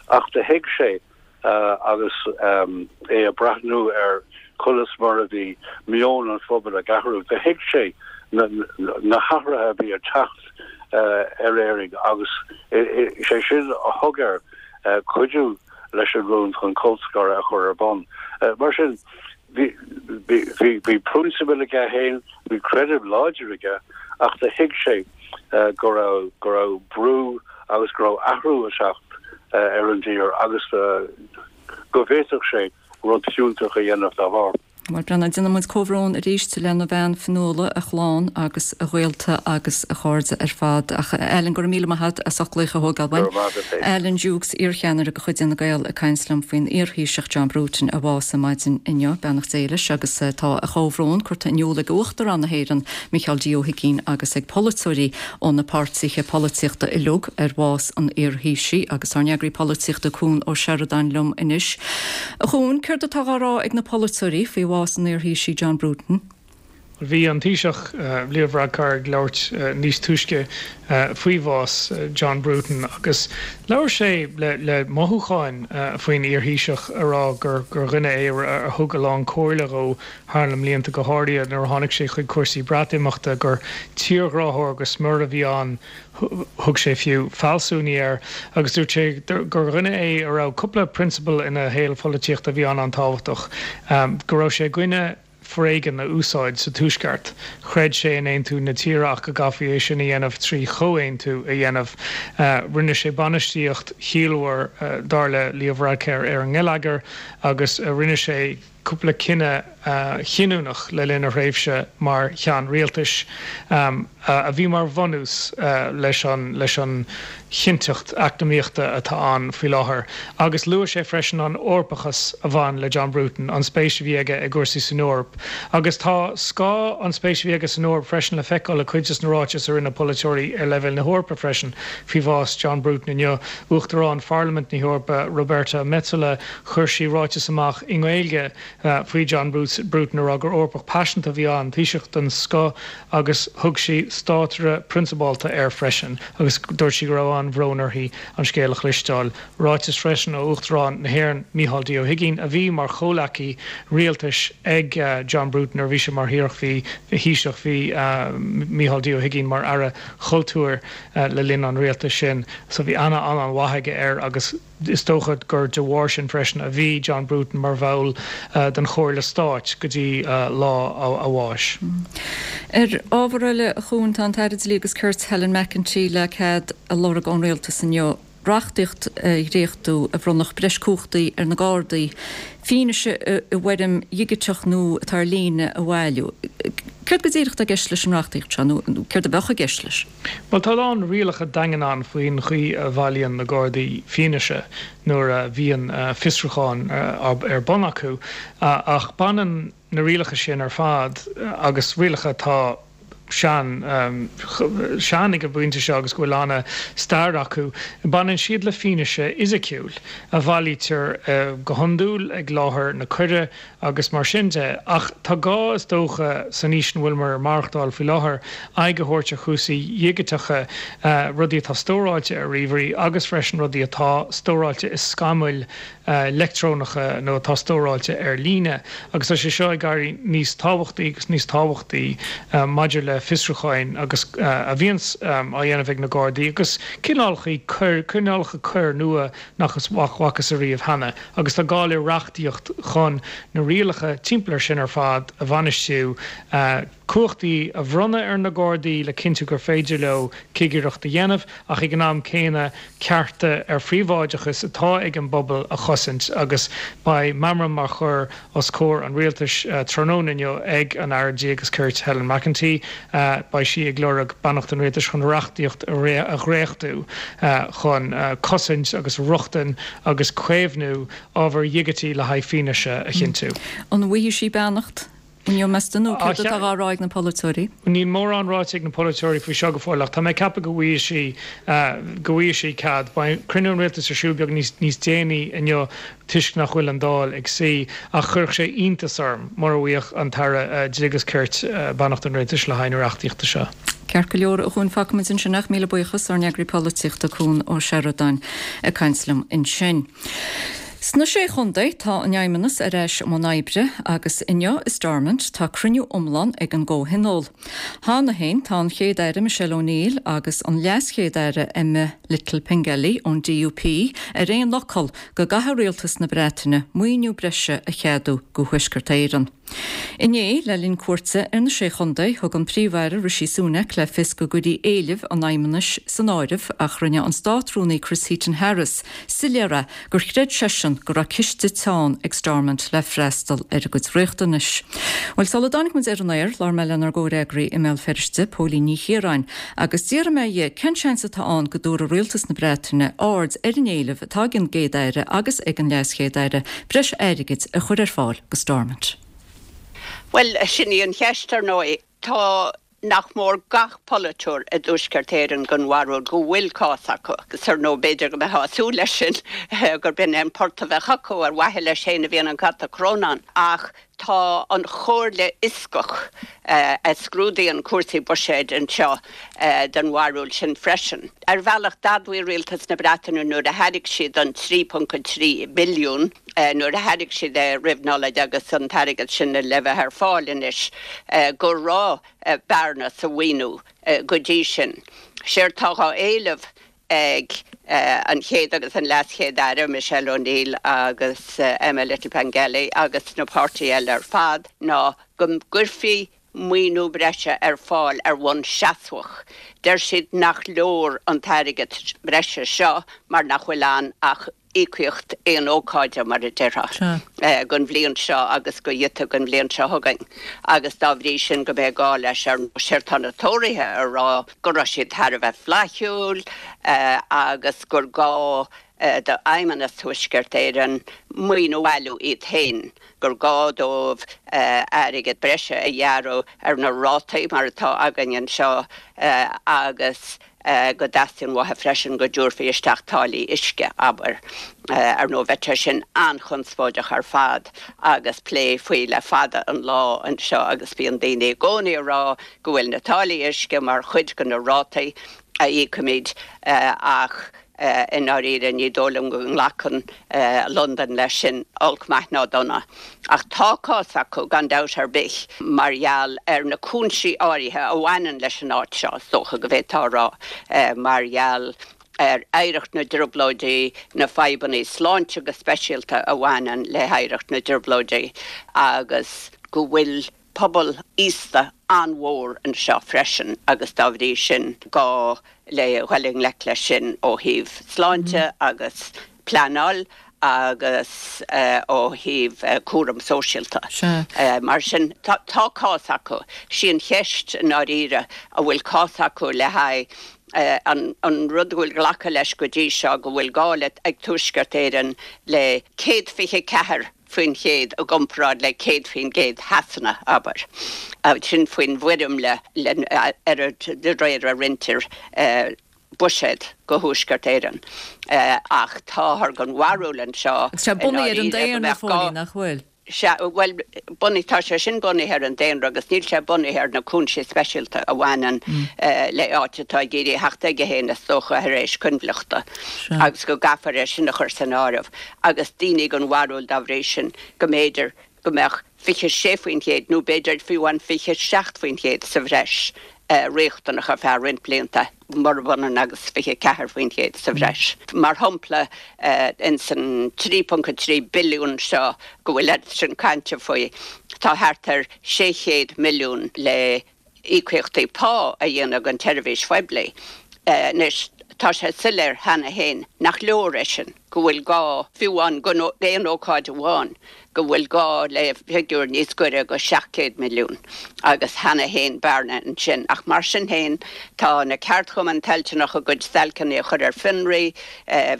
ach do thuig sé agus é ag breathnú ar conas mar a bhí meon an phobail ag athrú, do thuig sé na hathruithe a bhí ag teacht ar Éirinn agus is é sin a thug air cuidiú leis an rún chun colscaradh a chur ar bun. Mar sin, Bhí bhí bhí prionsabail aige féin, bhí creideamh láidir aige ach do thuig sé go raibh go raibh brú agus go raibh athrú ag teacht ar an dtír agus go bhféadfadh sé rud fiúntach a dhéanamh dá bharr. Bhuel, Breandán, déanann muid comhbhrón arís lena bhean Fionnuala, a chlann agus a ghaolta agus a chairde ar fad. Ach Alan, go raibh míle maith agat as ucht glaoch a thógáil uainn. Go raibh maith agat féin. Alan Dukes, iarcheannaire de chuid Fhine Gael ag caint liom faoin iarThaoiseach John Bruton a bhásaigh maidin inniu. Beannacht Dé leis agus tá a chomhbhrón curtha in iúl ag Uachtarán na hÉireann, Micheál D. Ó hUigínn agus ag polaiteoirí ó na páirtithe polaitíochta uilig ar bhás an iarThaoisigh agus ár n-eagraí polaitíochta Cuan Ó Seireadáin liom anois. A Chuain, céard atá á rá ag na polaiteoirí faoi bhás an iarThaoisigh John Bruton? Bhí an Taoiseach Leo Varadkar ag labhairt níos túisce faoi bhás John Bruton agus labhair sé le le mothúcháin faoin iarThaoiseach a rá gur gur dhuine é a thug a lán comhairle dhó thar na mblianta go háirithe nuair a tháinig sé chuig cúrsaí Breatimeachta gur tírghráthóir go smior a bhí ann thug sé fiú fealsúnaí air agus dúirt sé gur dhuine é a raibh cúpla prionsabal ina shaol pholaitíochta a bhí an-an-tábhachtach go raibh sé i gcoinne foréigean a úsáid sa Tuaisceart. Chreid sé in aontú na tíre ach go gcaithfí é sin a dhéanamh trí chomhaontú a dhéanamh. Rinne sé bainistíocht chiallmhar, dar le Leo Varadkar, ar an ngeilleagar agus rinne sé cúpla cinneadh chinniúnach le linn a thréimhse mar cheann rialtais a bhí mar bhunús leis an leis an chinnteacht eacnamaíochta atá ann faoi láthair. Agus luaigh sé freisin an Eorpachas a bhain le John Bruton, an spéis a bhí aige i gcúrsaí san Eoraip. Agus tá scáth an spéis a bhí aige san Eoraip freisin le feiceáil i cuid de na ráitis a rinne polaiteoirí ar leibhéal na hEorpa freisin faoi bhás John Bruton inniu. Uachtarán Pharlaimint na hEorpa, Roberta Metsola, chuir sí ráiteas amach i nGaeilge faoi John Bruton a rá gur Eorpach paiseanta a bhí ann, Taoiseach den scoth agus thug sí státaire prionsabálta air freisin agus dúirt sí go raibh an-bhrón uirthi an scéal a chloisteáil. Ráiteas freisin ó Uachtarán na hÉireann, Micheál D. Ó hUigínn, a bhí mar chomhleacaí rialtais ag John Bruton nuair a bhí sé mar Thaoiseach, bhí Thaoiseach, bhí Micheál D. Ó hUigínn mar Aire Chultúir le linn an rialtais sin so bhí aithne an-mhaith aige air agus Is dócha gur de bharr sin freisin a bhí John Bruton mar bhall den Chomhairle Stáit go dtí lá a bháis. Ar ábhar eile, a Chuain, tá an tAire Dlí agus Cirt Helen McEntee le cead a lorg ón Rialtas inniu reachtaíocht a dhréachtú a bhronnfadh breis cumhachtaí ar na Gardaí fianaise i bhfoirm dhigiteach nó atá ar líne a bhailiú. Céard go díreach atá i gceist leis an reachtaíocht seo, nó céard a bheadh i gceist leis? Bhuel, tá a lán rialacha daingean ann faoin chaoi a bhailíonn na Gardaí fianaise nuair a bhíonn fiosrúchán ar bun acu, ach baineann na rialacha sin ar fad, agus rialacha atá sean, sean ag an bpointe seo agus go bhfuil ana-stair acu. Baineann siad le fianaise fhisiciúil a bhailítear go hiondúil ag láthair na coire agus mar sin de. Ach tá gá, is dócha, san aois ina bhfuileamar ag maireachtáil faoi láthair, aghaidh a thabhairt ar chúrsaí dhigiteacha, rudaí atá stóráilte ar ríomhairí agus freisin rudaí atá stóráilte i scamaill leictreonacha nó atá stóráilte ar líne agus tá sé seo ag éirí níos tábhachtaí agus níos tábhachtaí maidir le fiosrúcháin agus a bhíonns á dhéanamh ag na Gardaí agus cineálacha coir, cineálacha coir nua nach bhfacthas ariamh cheana agus tá gá le reachtaíocht chun na rialacha timpeall air sin ar fad a bhainistiú, cumhachtaí a bhronnadh ar na Gardaí le cinntiú gur féidir leo cigireacht a dhéanamh ach ag an am céanna cearta ar phríobháideachas atá ag an bpobal a chosaint agus beidh meamram á chur os comhair an Rialtais tráthnóna inniu ag an Aire Dlí agus Cirt Helen McEntee. Beidh sí ag lorg beannacht an Rialtais chun reachtaíocht a dhréachtú chun cosaint agus rochtain agus caomhnú ábhair dhigitigh le haghaidh fianaise a chinntiú. An bhfaighidh sí beannacht? Inniu, meas tú, nó céard atá á rá ag na polaiteoirí? Níl mórán ráite ag na polaiteoirí faoi seo go fóill ach tá mé ag ceapadh go bhfaighidh sí, go bhfaighidh sí cead. Beidh cruinniú an Rialtais ar siúl beag níos, níos déanaí inniu toisc nach bhfuil an Dáil ag suí ach chuirfeadh sé iontas orm mura bhfaigheadh an tAire Dlí agus Cirt beannacht an Rialtais le haghaidh na reachtaíochta seo. Ceart go leor, a Chuain, fágfaimid ansin é ach míle buíochas, ár n-eagraí polaitíochta Cuan Ó Seireadáin ag caint liom ansin. Sna Sé Chontae tá an Fheidhmeannas ar ais i mbun oibre agus inniu i Stormont tá cruinniú iomlán ag an gcomhthionól. Cheana féin tá an Chéad-Aire Michelle O'Neill agus an LeasChéad-Aire Emma Little Pengelly ón D U P ar aon fhocal go gcaithfidh rialtas na Breataine maoiniú breise a cheadú go Thuaisceart Éireann. Inné, le linn cuairte ar na Sé Chontae, thug an Príomh-Aire Rishi Sunak le fios go gcuirfí éilimh an Fheidhmeannais san áireamh, ach rinne an Státrúnaí Chris Heaton-Harris soiléir é gur chreid seisean go raibh ciste teann ag Stormont le freastal ar a gcuid riachtanais. Bhuel, sula dtáinig muid ar an aer, labhair mé lenár gcomhfhreagraí i mBéal Feirste, Póilín Ní Chiaráin, agus d'iarr mé dhi cén seans atá ann go dtabharfaidh rialtas na Breataine aird ar an éileamh atá ag an gCéad-Aire agus ag an LeasChéad-Aire breis airgid a chur ar fáil go Stormont. Well, sin í an cheist, ar ndóigh. Tá nach mór gach polaiteoir i dTuaisceart Éireann den bharúil go bhfuil cás acu, agus ar ndóigh b'fhéidir go mbeifeá ag súil leis sin, gur b'in é an port a bheadh acu, ar mhaithe leis féin a bhíonn an cat ag crónán. Ach tá an Chomhairle Fhioscach, a scrúdaíonn cúrsaí buiséid anseo, den bharúil sin freisin. Ar bhealach, d'admhaigh rialtas na Breataine nuair a thairg siad an trí ponc a trí billiún, nuair a thairg siad é roimh Nollaig agus an t-airgead sin le bheith ar fáil anois, go raibh bearna sa mhaoiniú go dtí sin. Séard tá á éileamh ag an Chéad agus an LeasChéad-Aire, Michelle O'Neill agus Emma Little Pengelly agus na páirtithe eile ar fad, ná go gcuirfí maoiniú breise ar fáil ar bhonn seasmhach. Deir siad nach leor an t-airgead breise seo mar nach bhfuil ann ach íocaíocht aon ócáide, mar a déarfá, don bhliain seo agus go giota don bhliain seo chugainn, agus dá bhrí sin go mbeidh gá leis. Ar ndóigh, tá na Tóraithe a rá go raibh siad thar a bheith flaithiúil agus gur gá d'Fheidhmeannas Thuaisceart Éireann maoiniú a bhailiú iad féin, gur gá dóibh airgead breise a ghearradh ar na rátaí mar atá againn anseo agus go dteastaíonn uathu freisin go dtabharfaí isteach táillí uisce, abair. Ar ndóigh, bheadh sé sin an-chonspóideach ar fad agus plé faoi le fada an lá anseo, agus bíonn daoine i gcónaí ag rá go bhfuil na táillí uisce mar chuid de na rátaí a íocaimid, ach i ndáiríre ní dóigh liom go nglacann Londain leis sin, olc maith ná dona. Ach tá cás acu gan dabht ar bith mar gheall ar na cúinsí áirithe a bhaineann leis an áit seo, is dócha go bhféadfá a rá, mar gheall ar oidhreacht na dTrioblóidí, na fadhbanna sláinte go speisialta a bhaineann le hoidhreacht na dTrioblóidí, agus go bhfuil pobal aosta an-mhór anseo freisin agus dá bhrí sin gá le dhul i ngleic leis sin ó thaobh sláinte agus pleanáil agus ó thaobh cúram sóisialta. Mar sin tá cás acu. Sí an cheist i ndáiríre an bhfuil cás acu le haghaidh an rud go bhfuil glactha leis go dtí seo, go bhfuil gá le ag Tuaisceart Éireann le céad fiche ceathair faoin chéad i gcomparáid le céad faoin gcéad Shasana, abair. Sin faoin bhfoirmle ar de réir a roinntear buiséad go Thuaisceart Éireann. Ach táthar den bharúil anseo Agus sé bunaithe ar an daonra, Phóilín, nach bhfuil? Sea, bhuel, bunaithe, tá sé sin bunaithe ar an daonra agus níl sé bunaithe ar na cúinsí speisialta a bhaineann le áit atá ag iarraidh theacht chuige féin, is dócha, tar éis coinbhleachta, agus go gcaithfear é sin a chur san áireamh, agus daoine den bharúil dá bhrí sin go mb'fhéidir go mbeadh fiche sé faoin chéad nó b'fhéidir fiú amháin fiche seacht faoin chéad sa bhreis riachtanach ar feadh roinnt blianta, murab ionann agus fiche ceathair faoin chéad sa bhreis. Mar shampla, ins an trí ponc a trí billiún seo go bhfuil oiread sin cainte faoi, tá thart ar sé chéad milliún le íocaíochtaí pá a dhéanamh don tseirbhís phoiblí. Anois, tá sé soiléir cheana féin nach leor é sin, go bhfuil gá, fiú amháin don aon ócáid amháin, go bhfuil gá le figiúr níos gaire go seacht gcéad milliún, agus cheana féin bearna ansin. Ach mar sin féin, tá na ceardchumainn toilteanach a gcuid stailceanna a chur ar fionraí.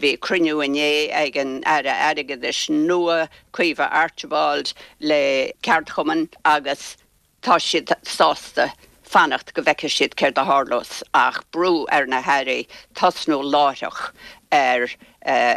Bhí cruinniú inné ag an Aire Airgeadais nua, Caoimhe Archibald, le ceardchumainn agus tá siad sásta fanacht go bhfeicfidh siad céard a tharlós, ach brú ar na hairí tosnú láithreach ar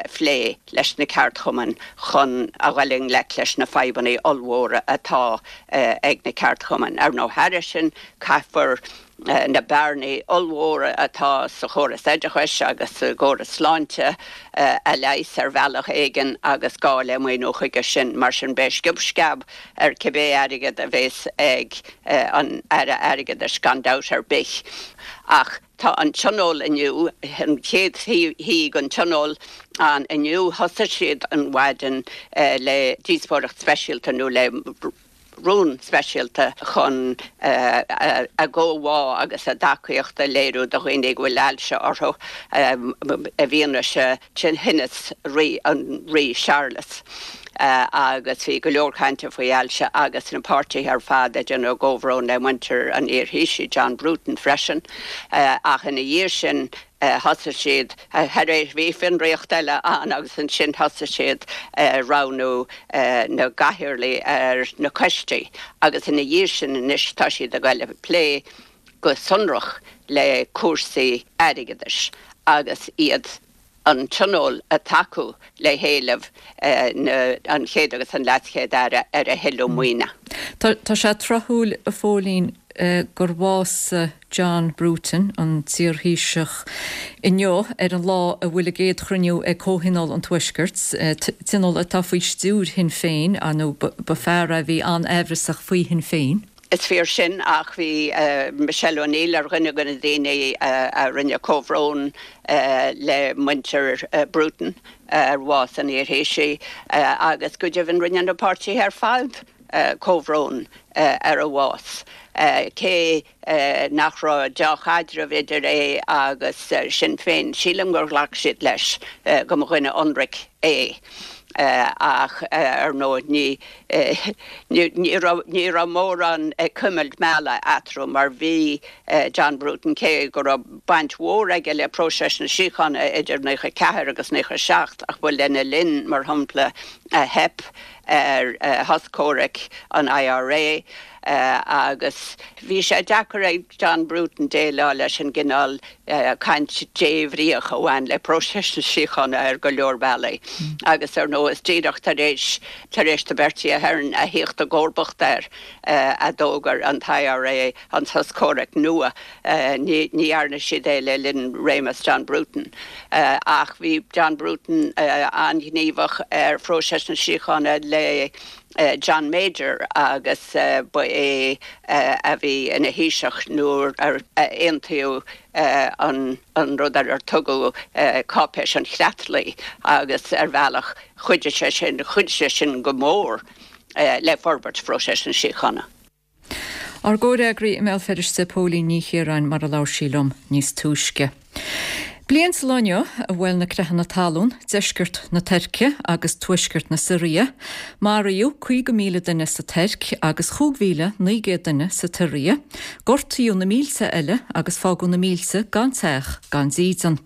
phlé leis na ceardchumainn chun a dhul i ngleic leis na fadhbanna ollmhóra atá ag na ceardchumainn. Ar ndóigh, thairis sin, caithfear na bearnaí ollmhóra atá sa chóras oideachais agus sa gcóras sláinte a leigheas ar bhealach éigin agus gá le maoiniú chuige sin. Mar sin beidh sciob sceab ar cibé airgead a bheas ag an Aire Airgeadais gan dabht ar bith. Ach tá an Tionól inniu, an chéad shuí den Tionól ann inniu, thosaigh siad an mhaidin le díospóireacht speisialta nó le rún speisialta chun a gcomhbhá agus a dtacaíocht a léiriú do dhaoine go bhfuil ailse orthu i bhfianaise thinneas an Rí Séarlas. Agus bhí go leor cainte faoi ailse agus na páirtithe ar fad ag déanamh a gcomhbhrón le muintir an iar-Thaoisigh, John Bruton freisin. Ach ina dhiaidh sin thosaigh siad, tar éis, bhí fionraíocht eile ann agus ansin thosaigh siad roghnú na gcathaoirligh ar na coistí agus ina dhiaidh sin anois tá siad ag goil ag plé go sonrach le cúrsaí airgeadais agus iad an Tionól ag tacú le héileamh an Chéad agus an LeasChéad-Aire ar a thuilleadh maoine. Tá sé tráthúil, a Phóilín, gur bhásaigh John Bruton, an t-iarThaoiseach, inniu ar an lá a bhfuil a gcéad chruinniú ag Comhthionól an Tuaiscirt, tionól atá faoi stiúir Shinn Féin, nó ba fear é a bhí an-aimhreasach faoi Shinn Féin. Is fíor sin ach bhí Michelle O'Neill ar dhuine de na daoine a rinne comhbhrón le muintir Bruton ar bhás an iarThaoisigh agus go deimhin rinne na páirtithe ar fad comhbhrón ar a bhás. Cé nach raibh deá-chaidreamh idir é agus Sinn Féin, sílim gur ghlac siad leis go mba dhuine ionraic é. Ach ar ndóigh ní ní raibh ní raibh mórán ag cuimilt meala eatarthu mar bhí John Bruton, cé go raibh baint mhór aige le próiseas na síochána idir naocha ceathair agus naocha seacht ach ba lena linn, mar shampla, a theip ar shos comhraic an I R A agus bhí sé deacair ag John Bruton déileáil leis an gcineál caint débhríoch a bhain le próiseas na síochána ar go leor bealaí agus ar ndóigh is díreach tar éis tar éis do Bertie Ahern a thíocht i gcomharbacht air a d'fhógair an t-I R A an sos comhraic nua. Ní dhearna siad é le linn réimeas John Bruton. Ach bhí John Bruton an-ghníomhach ar phróiseas na síochána le John Major agus ba é a bhí ina Thaoiseach nuair a aontaíodh an an rud ar ar tugadh Cáipéis an Chreatlaigh agus ar bhealach chuidigh sé sin chuidigh sé sin go mór le forbairt phróiseas na síochána. Ár gcomhfhreagraí i mBéal Feirste, Póilín Ní Chiaráin, mar a labhair sí liom níos túisce. Bliain sa lá inniu a bhuail na creathanna talún deisceart na Tuirce agus tuaisceart na Siria. Maraíodh caoga míle duine sa Tuirc agus chúig mhíle naoi gcéad duine sa tSiria. Gortaíodh na mílte eile agus fágadh na mílte gan teach gan dídean.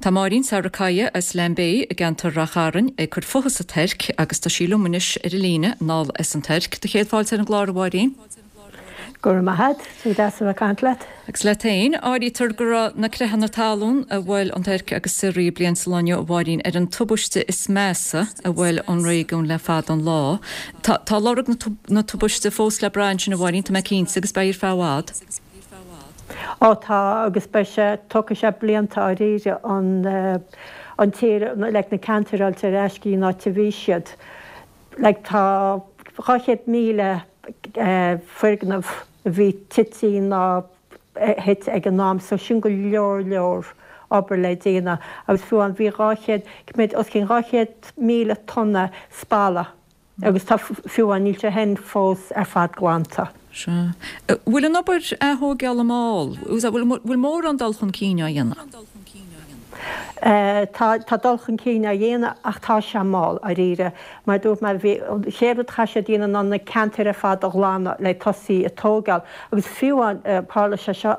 Tá Máirín Sarikaya as Lambay i gceantar Ráth Chairn ag cur fúithi sa Tuirc agus tá sí liom anois ar an líne anall as an Tuirc. Do chéad fáilte ar an gclár, a Mháirín. Go raibh maith agat, is deas a bheith ag caint leat. Agus leat féin, áirítear go raibh na creathanna talún a bhuail an Tuirc agus Siria bliain sa lá inniu, a Mháirín, ar an tubaiste is measa a bhuail an réigiún le fada an lá. Tá tá lorg na na tubaiste fós le brath ansin, a Mháirín, tá mé cinnte, agus beidh ar feadh i bhfad. Ó tá, agus beidh sé, tógfaidh sé blianta dáiríre an an tír, like na ceantair a fháilt ar ais go dtí an áit a bhí siad. Like tá dhá chéad míle foirgneamh a bhí tite nó thit ag an am so sin go leor leor obair le déanamh agus fiú amháin bhí dhá chéad, b'fhéidir os cionn dhá chéad míle tonna spalla agus tá fiú amháin níl sé féin fós ar fad glanta. Sea. Bhfuil an obair athógála mall? Bhfuil mórán dul chun cinn á dhéanamh? Tá tá dul chun cinn á dhéanamh ach tá sé mall, dáiríre. Mar a dúirt mé, bhí an chéad rud a chaith siad a dhéanamh ná na ceantair ar fad a ghlanadh le tosaí ag tógáil. Agus fiú amháin, tharla sé seo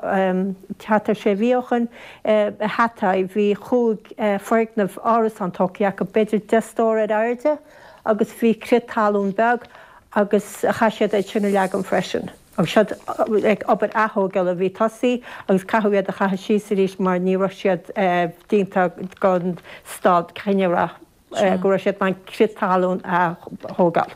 thart ar sé mhí ó shin i Hatay, bhí chúig foirgneamh árasán tógtha acu, b'fhéidir deich stór ar airde agus bhí crith talún beag agus chaith siad iad sin a leagan freisin. Agus siad ag obair athógála a bhí tosaithe agus caitheadh iad a chaitheamh síos arís mar ní raibh siad déanta don staid chinneamhrach go raibh siad in ann crith talún a thógáil.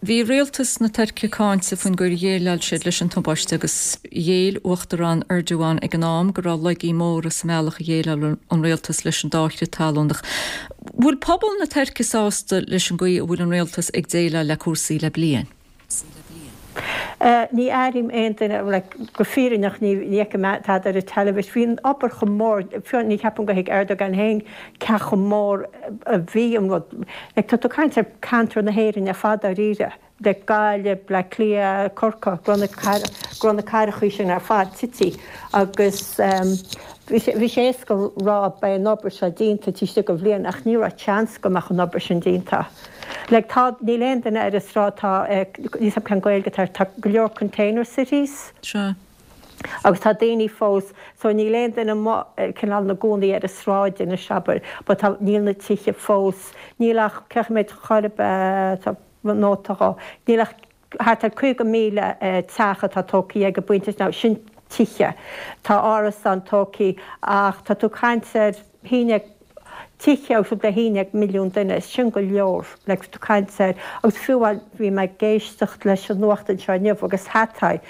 Bhí rialtas na Tuirce cáinte faoin gcaoi ar dhéileáil siad leis an tubaiste agus ghéill Uachtarán Erdogan ag an am go raibh laigí móra sa mbealach a dhéileáil an rialtas leis an dá chrith talún. Ach bhfuil pobal na Tuirce sásta leis an gcaoi a bhfuil an rialtas ag déileáil le cúrsaí le bliain? Ní airím aon duine, like, go fírinneach ní fheicim tada ar an teilifís. Bhí an obair chomh mór, fiú ní cheapaim gur thuig Erdogan féin cé chomh mór a bhí an rud. Like, tá tú ag caint ar ceantar na hÉireann ar fad dáiríre, like Gaillimh, Bleá Cliath, Corcaigh, go raibh na, go raibh na cathrachaí sin ar fad tite agus bhí sé, bhí sé éasca rá beidh an obair seo déanta taobh istigh de bhliain ach ní raibh seans go mbeadh an obair sin déanta. Like tá, níl aon duine ar an sráid, tá, níl 'fhios a'm cén Gaeilge atá air, tá go leor container cities. Sea. Agus tá daoine fós, so níl aon duine amuigh cineál ina gcónaí ar an sráid anois abair, but tá, níl na tithe fós, níl ach, cé mhéad chor ar bith, tá nóta dhó, níl ach thart ar caoga míle teach atá tógtha ag an bpointe now sin tithe, tá árasáin tógtha ach tá tú ag caint ar haon déag, tithe agus le haon déag milliún duine, sin go leor, like tú caint ar, agus fiú amháin bhí mé ag éisteacht leis an nuacht anseo inniu agus Hatay,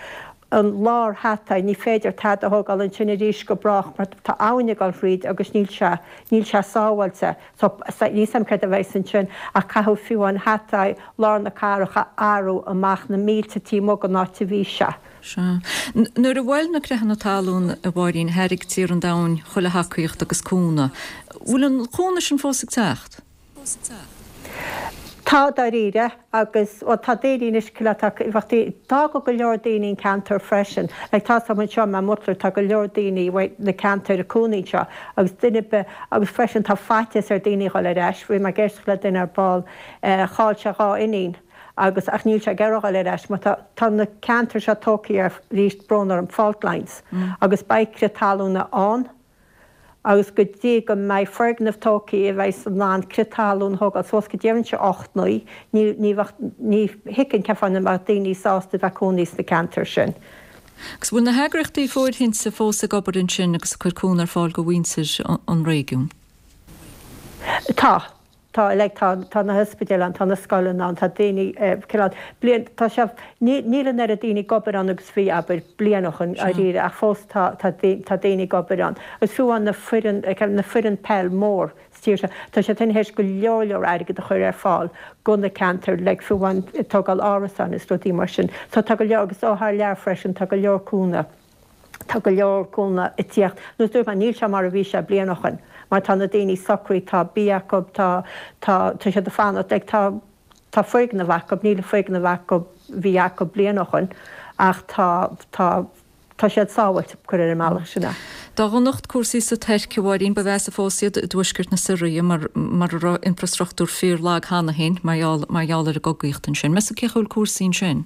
an lár Hatay, ní féidir tada a thógáil ansin arís go brách mar tá abhainn ag dul thríd agus níl sé, níl sé sábháilte. So, níl 'fhios a'm céard a bheas ansin ach caithfidh fiú amháin Hatay, lár na cathrach a athrú amach na mílte taobh amuigh den áit a bhí sé. Sea. Nuair a bhuail na creathanna talún, a Mháirín, thairg tíortha an domhain chuile thacaíocht agus cúnamh. Bhfuil an cúnamh sin fós ag teacht? Tá, dáiríre, agus, bhuel, tá daoine anois, cineál, tá, bheadh daoine, d'fhág go leor daoine an ceantar freisin. Like, tá 'fhios a'm anseo i Mahmutlar, tá go leor daoine uaidh na ceantair ag cónaí anseo agus duine ar bith, agus freisin tá faitíos ar daoine a dhul ar ais. Bhí mé ag éisteacht le duine ar ball, chaill sé dhá iníon. agus ach níl sé ag iarraidh dhul ar ais mar tá tá na ceantair seo tógtha ar arís brón orm fault lines agus beidh crith talúna ann agus go dtí go mbeidh foirgneamh tógtha a bheidh in ann crith talún a thógáil suas go deireann ocht naoi ní ní bheadh ní thuigim cén fáth nach mbeadh daoine sásta bheith cónaí sna ceantair sin. Agus bhfuil na heagraíochtaí fóirithinte fós ag obair ansin agus ag cur cúnamh ar fáil do mhuintir an réigiúin? Tá. Tá, like, tá, tá na hospidéil ann, tá na scoileanna ann, tá daoine, cineál, bliain, tá sé, ní, níl an oiread daoine ag obair ann agus bhí, abair, bliain ó shin, dáiríre, ach fós tá, tá, tá daoine ag obair ann. Agus fiú amháin na foireann, like, na foireann peil mór sa tír seo, tá siad tar éis go leor, leor airgead a chur ar fáil go na ceantair, like, fiú amháin ag tógáil árasáin is rudaí mar sin. So tá go leor, agus ó thar lear freisin, tá go leor cúnamh. Tá go leor cúnamh ag tíocht. Nó dúirt mé, níl sé mar a bhí sé bliain ó shin, mar tá na daoine socraithe, tá bia acu, tá, tá, tá siad ag fanacht, like, tá, tá foirgneamh acu, níl an foirgneamh acu, bhí acu bliain ó shin, ach tá, tá, tá siad sábháilte, cuir ar an mbealach sin é. Dá dhonacht cúrsaí sa Tuirc, a Mháirín, ba mheasa fós iad i dtuaisceart na Siria mar, mar a raibh infrastruchtúr fíor-lag cheana féin mar gheall, mar gheall ar an gcogaíocht ansin. Meas tú cén chaoi a bhfuil cúrsaí ansin?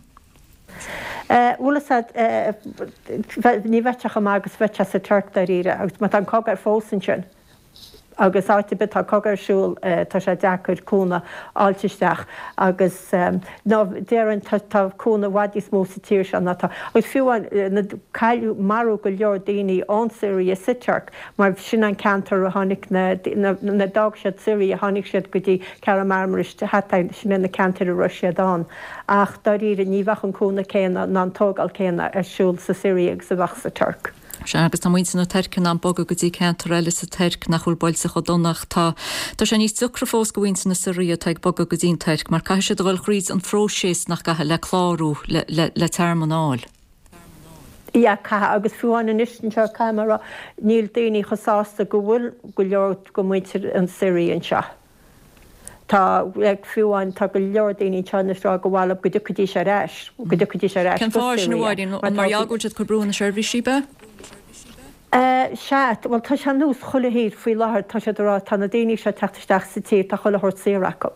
Bhuel is ea, ní bheadh sé chomh maith agus a bheadh sé sa Tuirc dáiríre, agus má tá an cogadh ar fós ansin, agus áit ar bith tá cogadh ar siúl, tá sé deacair cúnamh a fháilt isteach agus ná déarfainn tá tá cúnamh i bhfad níos mó sa tír seo ná tá, agus fiú amháin na cailleadh, maraíodh go leor daoine ón Siria sa Tuirc mar sin an ceantar a tháinig na, na, d'fhág siad Siria, tháinig siad go dtí Kahramanmaraş, Hatay, sin é na ceantair a raibh siad ann. Ach dáiríre, ní bheadh an cúnamh céanna ná an tógáil céanna ar siúl sa Siria agus a bheadh sa Tuirc. Sea, agus tá muintir na Tuirce in ann bogadh go dtí ceantar eile sa Tuirc nach bhfuil buailte chomh dona ach tá tá sé níos deacra fós do mhuintir na Siria atá ag bogadh go dtí an Tuirc mar caithfidh siad a dhul thríd an phróiseas nach gcaithfidh le clárú le le le tearmann a fháil. Yeah, caithfidh, agus fiú amháin anois anseo, caithfidh mé a rá, níl daoine chomh sásta go bhfuil go leor de mhuintir an Siria anseo. Tá, like, fiú amháin, tá go leor daoine anseo anois ag rá gur mhaith leo go dtiocfaidís ar ais, go dtiocfaidís ar ais Cén go fáth sin, a Syria, Mháirín? mar An tá mar gheall go bhfuil siad ag cur brú ar na seirbhísí, ab ea? Eh, sea, bhuel, tá sé ar nós chuile thír faoi láthair, tá siad ag rá, tá na daoine seo ag teacht isteach sa tír, tá chuile shórt saor acu.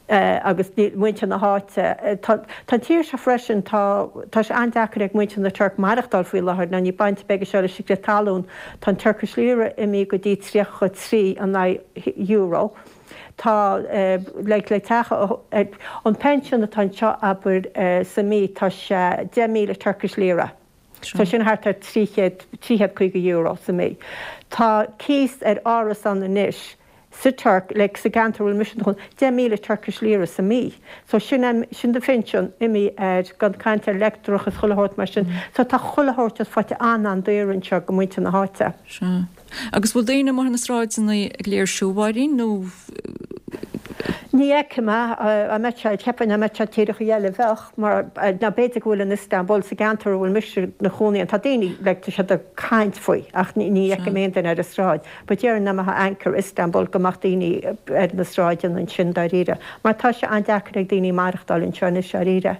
Eh, agus níl muintir na háite, eh, tá, tá an tír seo freisin, tá, tá sé an-deacair ag muintir na Tuirc maireachtáil faoi láthair, ná ní baint beag é seo leis an gcrith talún, tá an Turkish lira imithe go dtí tríocha trí in aghaidh euro. Tá like le teach an pension atá anseo abair sa mí tá sé deich míle Turkish lira. So sin thart ar trí chéad, trí chéad caoga euro sa mí. Tá cíos ar árasán anois sa Tuirc, like sa gceantar a bhfuil mise i mo chónaí, deich míle Turkish lira sa mí. So sin é, sin do phinsean imithe air, gan caint ar leictreachas is chuile shórt mar sin. So tá chuile shórt just faighte an-an-daor anseo go muintir na háite. Sea. Agus bhfuil daoine amuigh ar na sráideanna ag léirsiú, a Mháirín, nó? Ní fheicim é, dá mbeadh sé, cheapfainn dá mbeadh sé tíreacha eile bheadh, mar ná b'fhéidir go bhfuil in Istanbul, sa gceantar a bhfuil mise i mo chónaí ann, tá daoine, like, tá siad ag caint faoi ach ní fheicim aon duine ar an sráid. But déarfainn dá mbeifeá Ankara, Istanbul go mbeadh daoine ar na sráideanna ansin dáiríre, mar tá sé an-deacair ag daoine maireachtáil anseo anois dáiríre.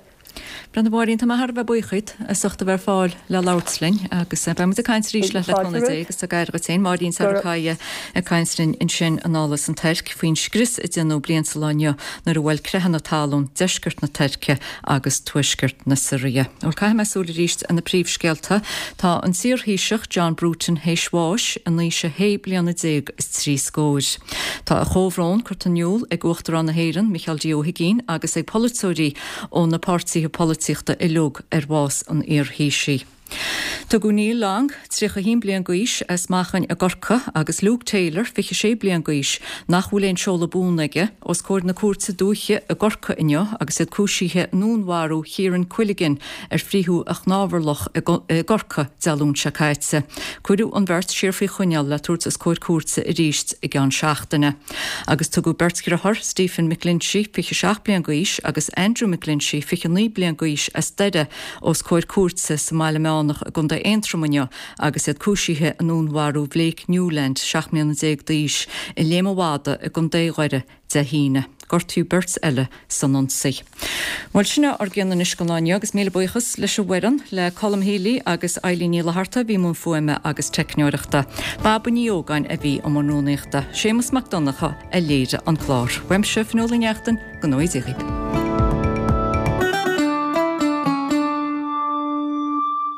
Bhuel a Mháirín, tá mé thar a bheith buíoch díot as ucht a bheith ar fáil le labhairt linn agus beidh muid ag caint arís leat le cúnamh Dé agus tá gair agat féin. Máirín Sarikaya ag caint linn ansin anall as an Tuirc faoin scrios a déanadh bliain sa lá inniu nuair a bhuail creathanna talún deisceart na Tuirce agus tuaisceart na Siria. Bhuel caithfidh mé súil arís ar na príomhscéalta. Tá an t-iarThaoiseach John Bruton théis bháis in aois a shé bliana déag is trí scóir. Tá a chomhbhrón curtha in iúl ag Uachtarán na hÉireann, Micheál D. Ó hUigínn agus ag polaiteoirí ó na páirtithe polaitíochta uilig ar bhás an iarThaoisigh. Tugadh Neil Long, tríocha a haon bliain d'aois, as Machain i gCorcaigh agus Luke Taylor, fiche sé bliain d'aois, nach bhfuil aon seoladh buan aige, os comhair na cúirte dúiche i gCorcaigh inniu agus iad cúisithe i ndúnmharú Chiaran Quilligan ar frítheadh a chnámharlach i gCorcaigh Dé Luain seo caite. Cuireadh an bheirt siar faoi choinneáil le tabhairt os comhair cúirte arís i gceann seachtaine. Agus tugadh beirt dheartháir, Stephen McGlinchey, fiche seacht bliain d'aois, agus Andrew McGlinchey, fiche naoi bliain d'aois, as Doire, os comhair cúirte sa mBaile Meánach i gContae Aontroim inniu agus iad cúisithe i ndúnmharú Bhlake Newland, seacht mbliana déag d'aois, i Léim an Mhadaidh i gContae Dhoire Dé hAoine. Gortaíodh beirt eile san ionsaí. Bhuel, sin é ár gcion anois don lá inniu agus míle buíochas leis an bhfoireann, le Colm Healy agus Eileen Ní Fhlatharta a bhí i mbun fuaime agus teicneoireachta. Baba Ní Ógáin a bhí i mbun rúnaíochta. Séamus Mac Donncha a léirigh an clár. Uaimse, Fionnuala Ní Neachtain, go ngnóthaí Dia dhaoibh.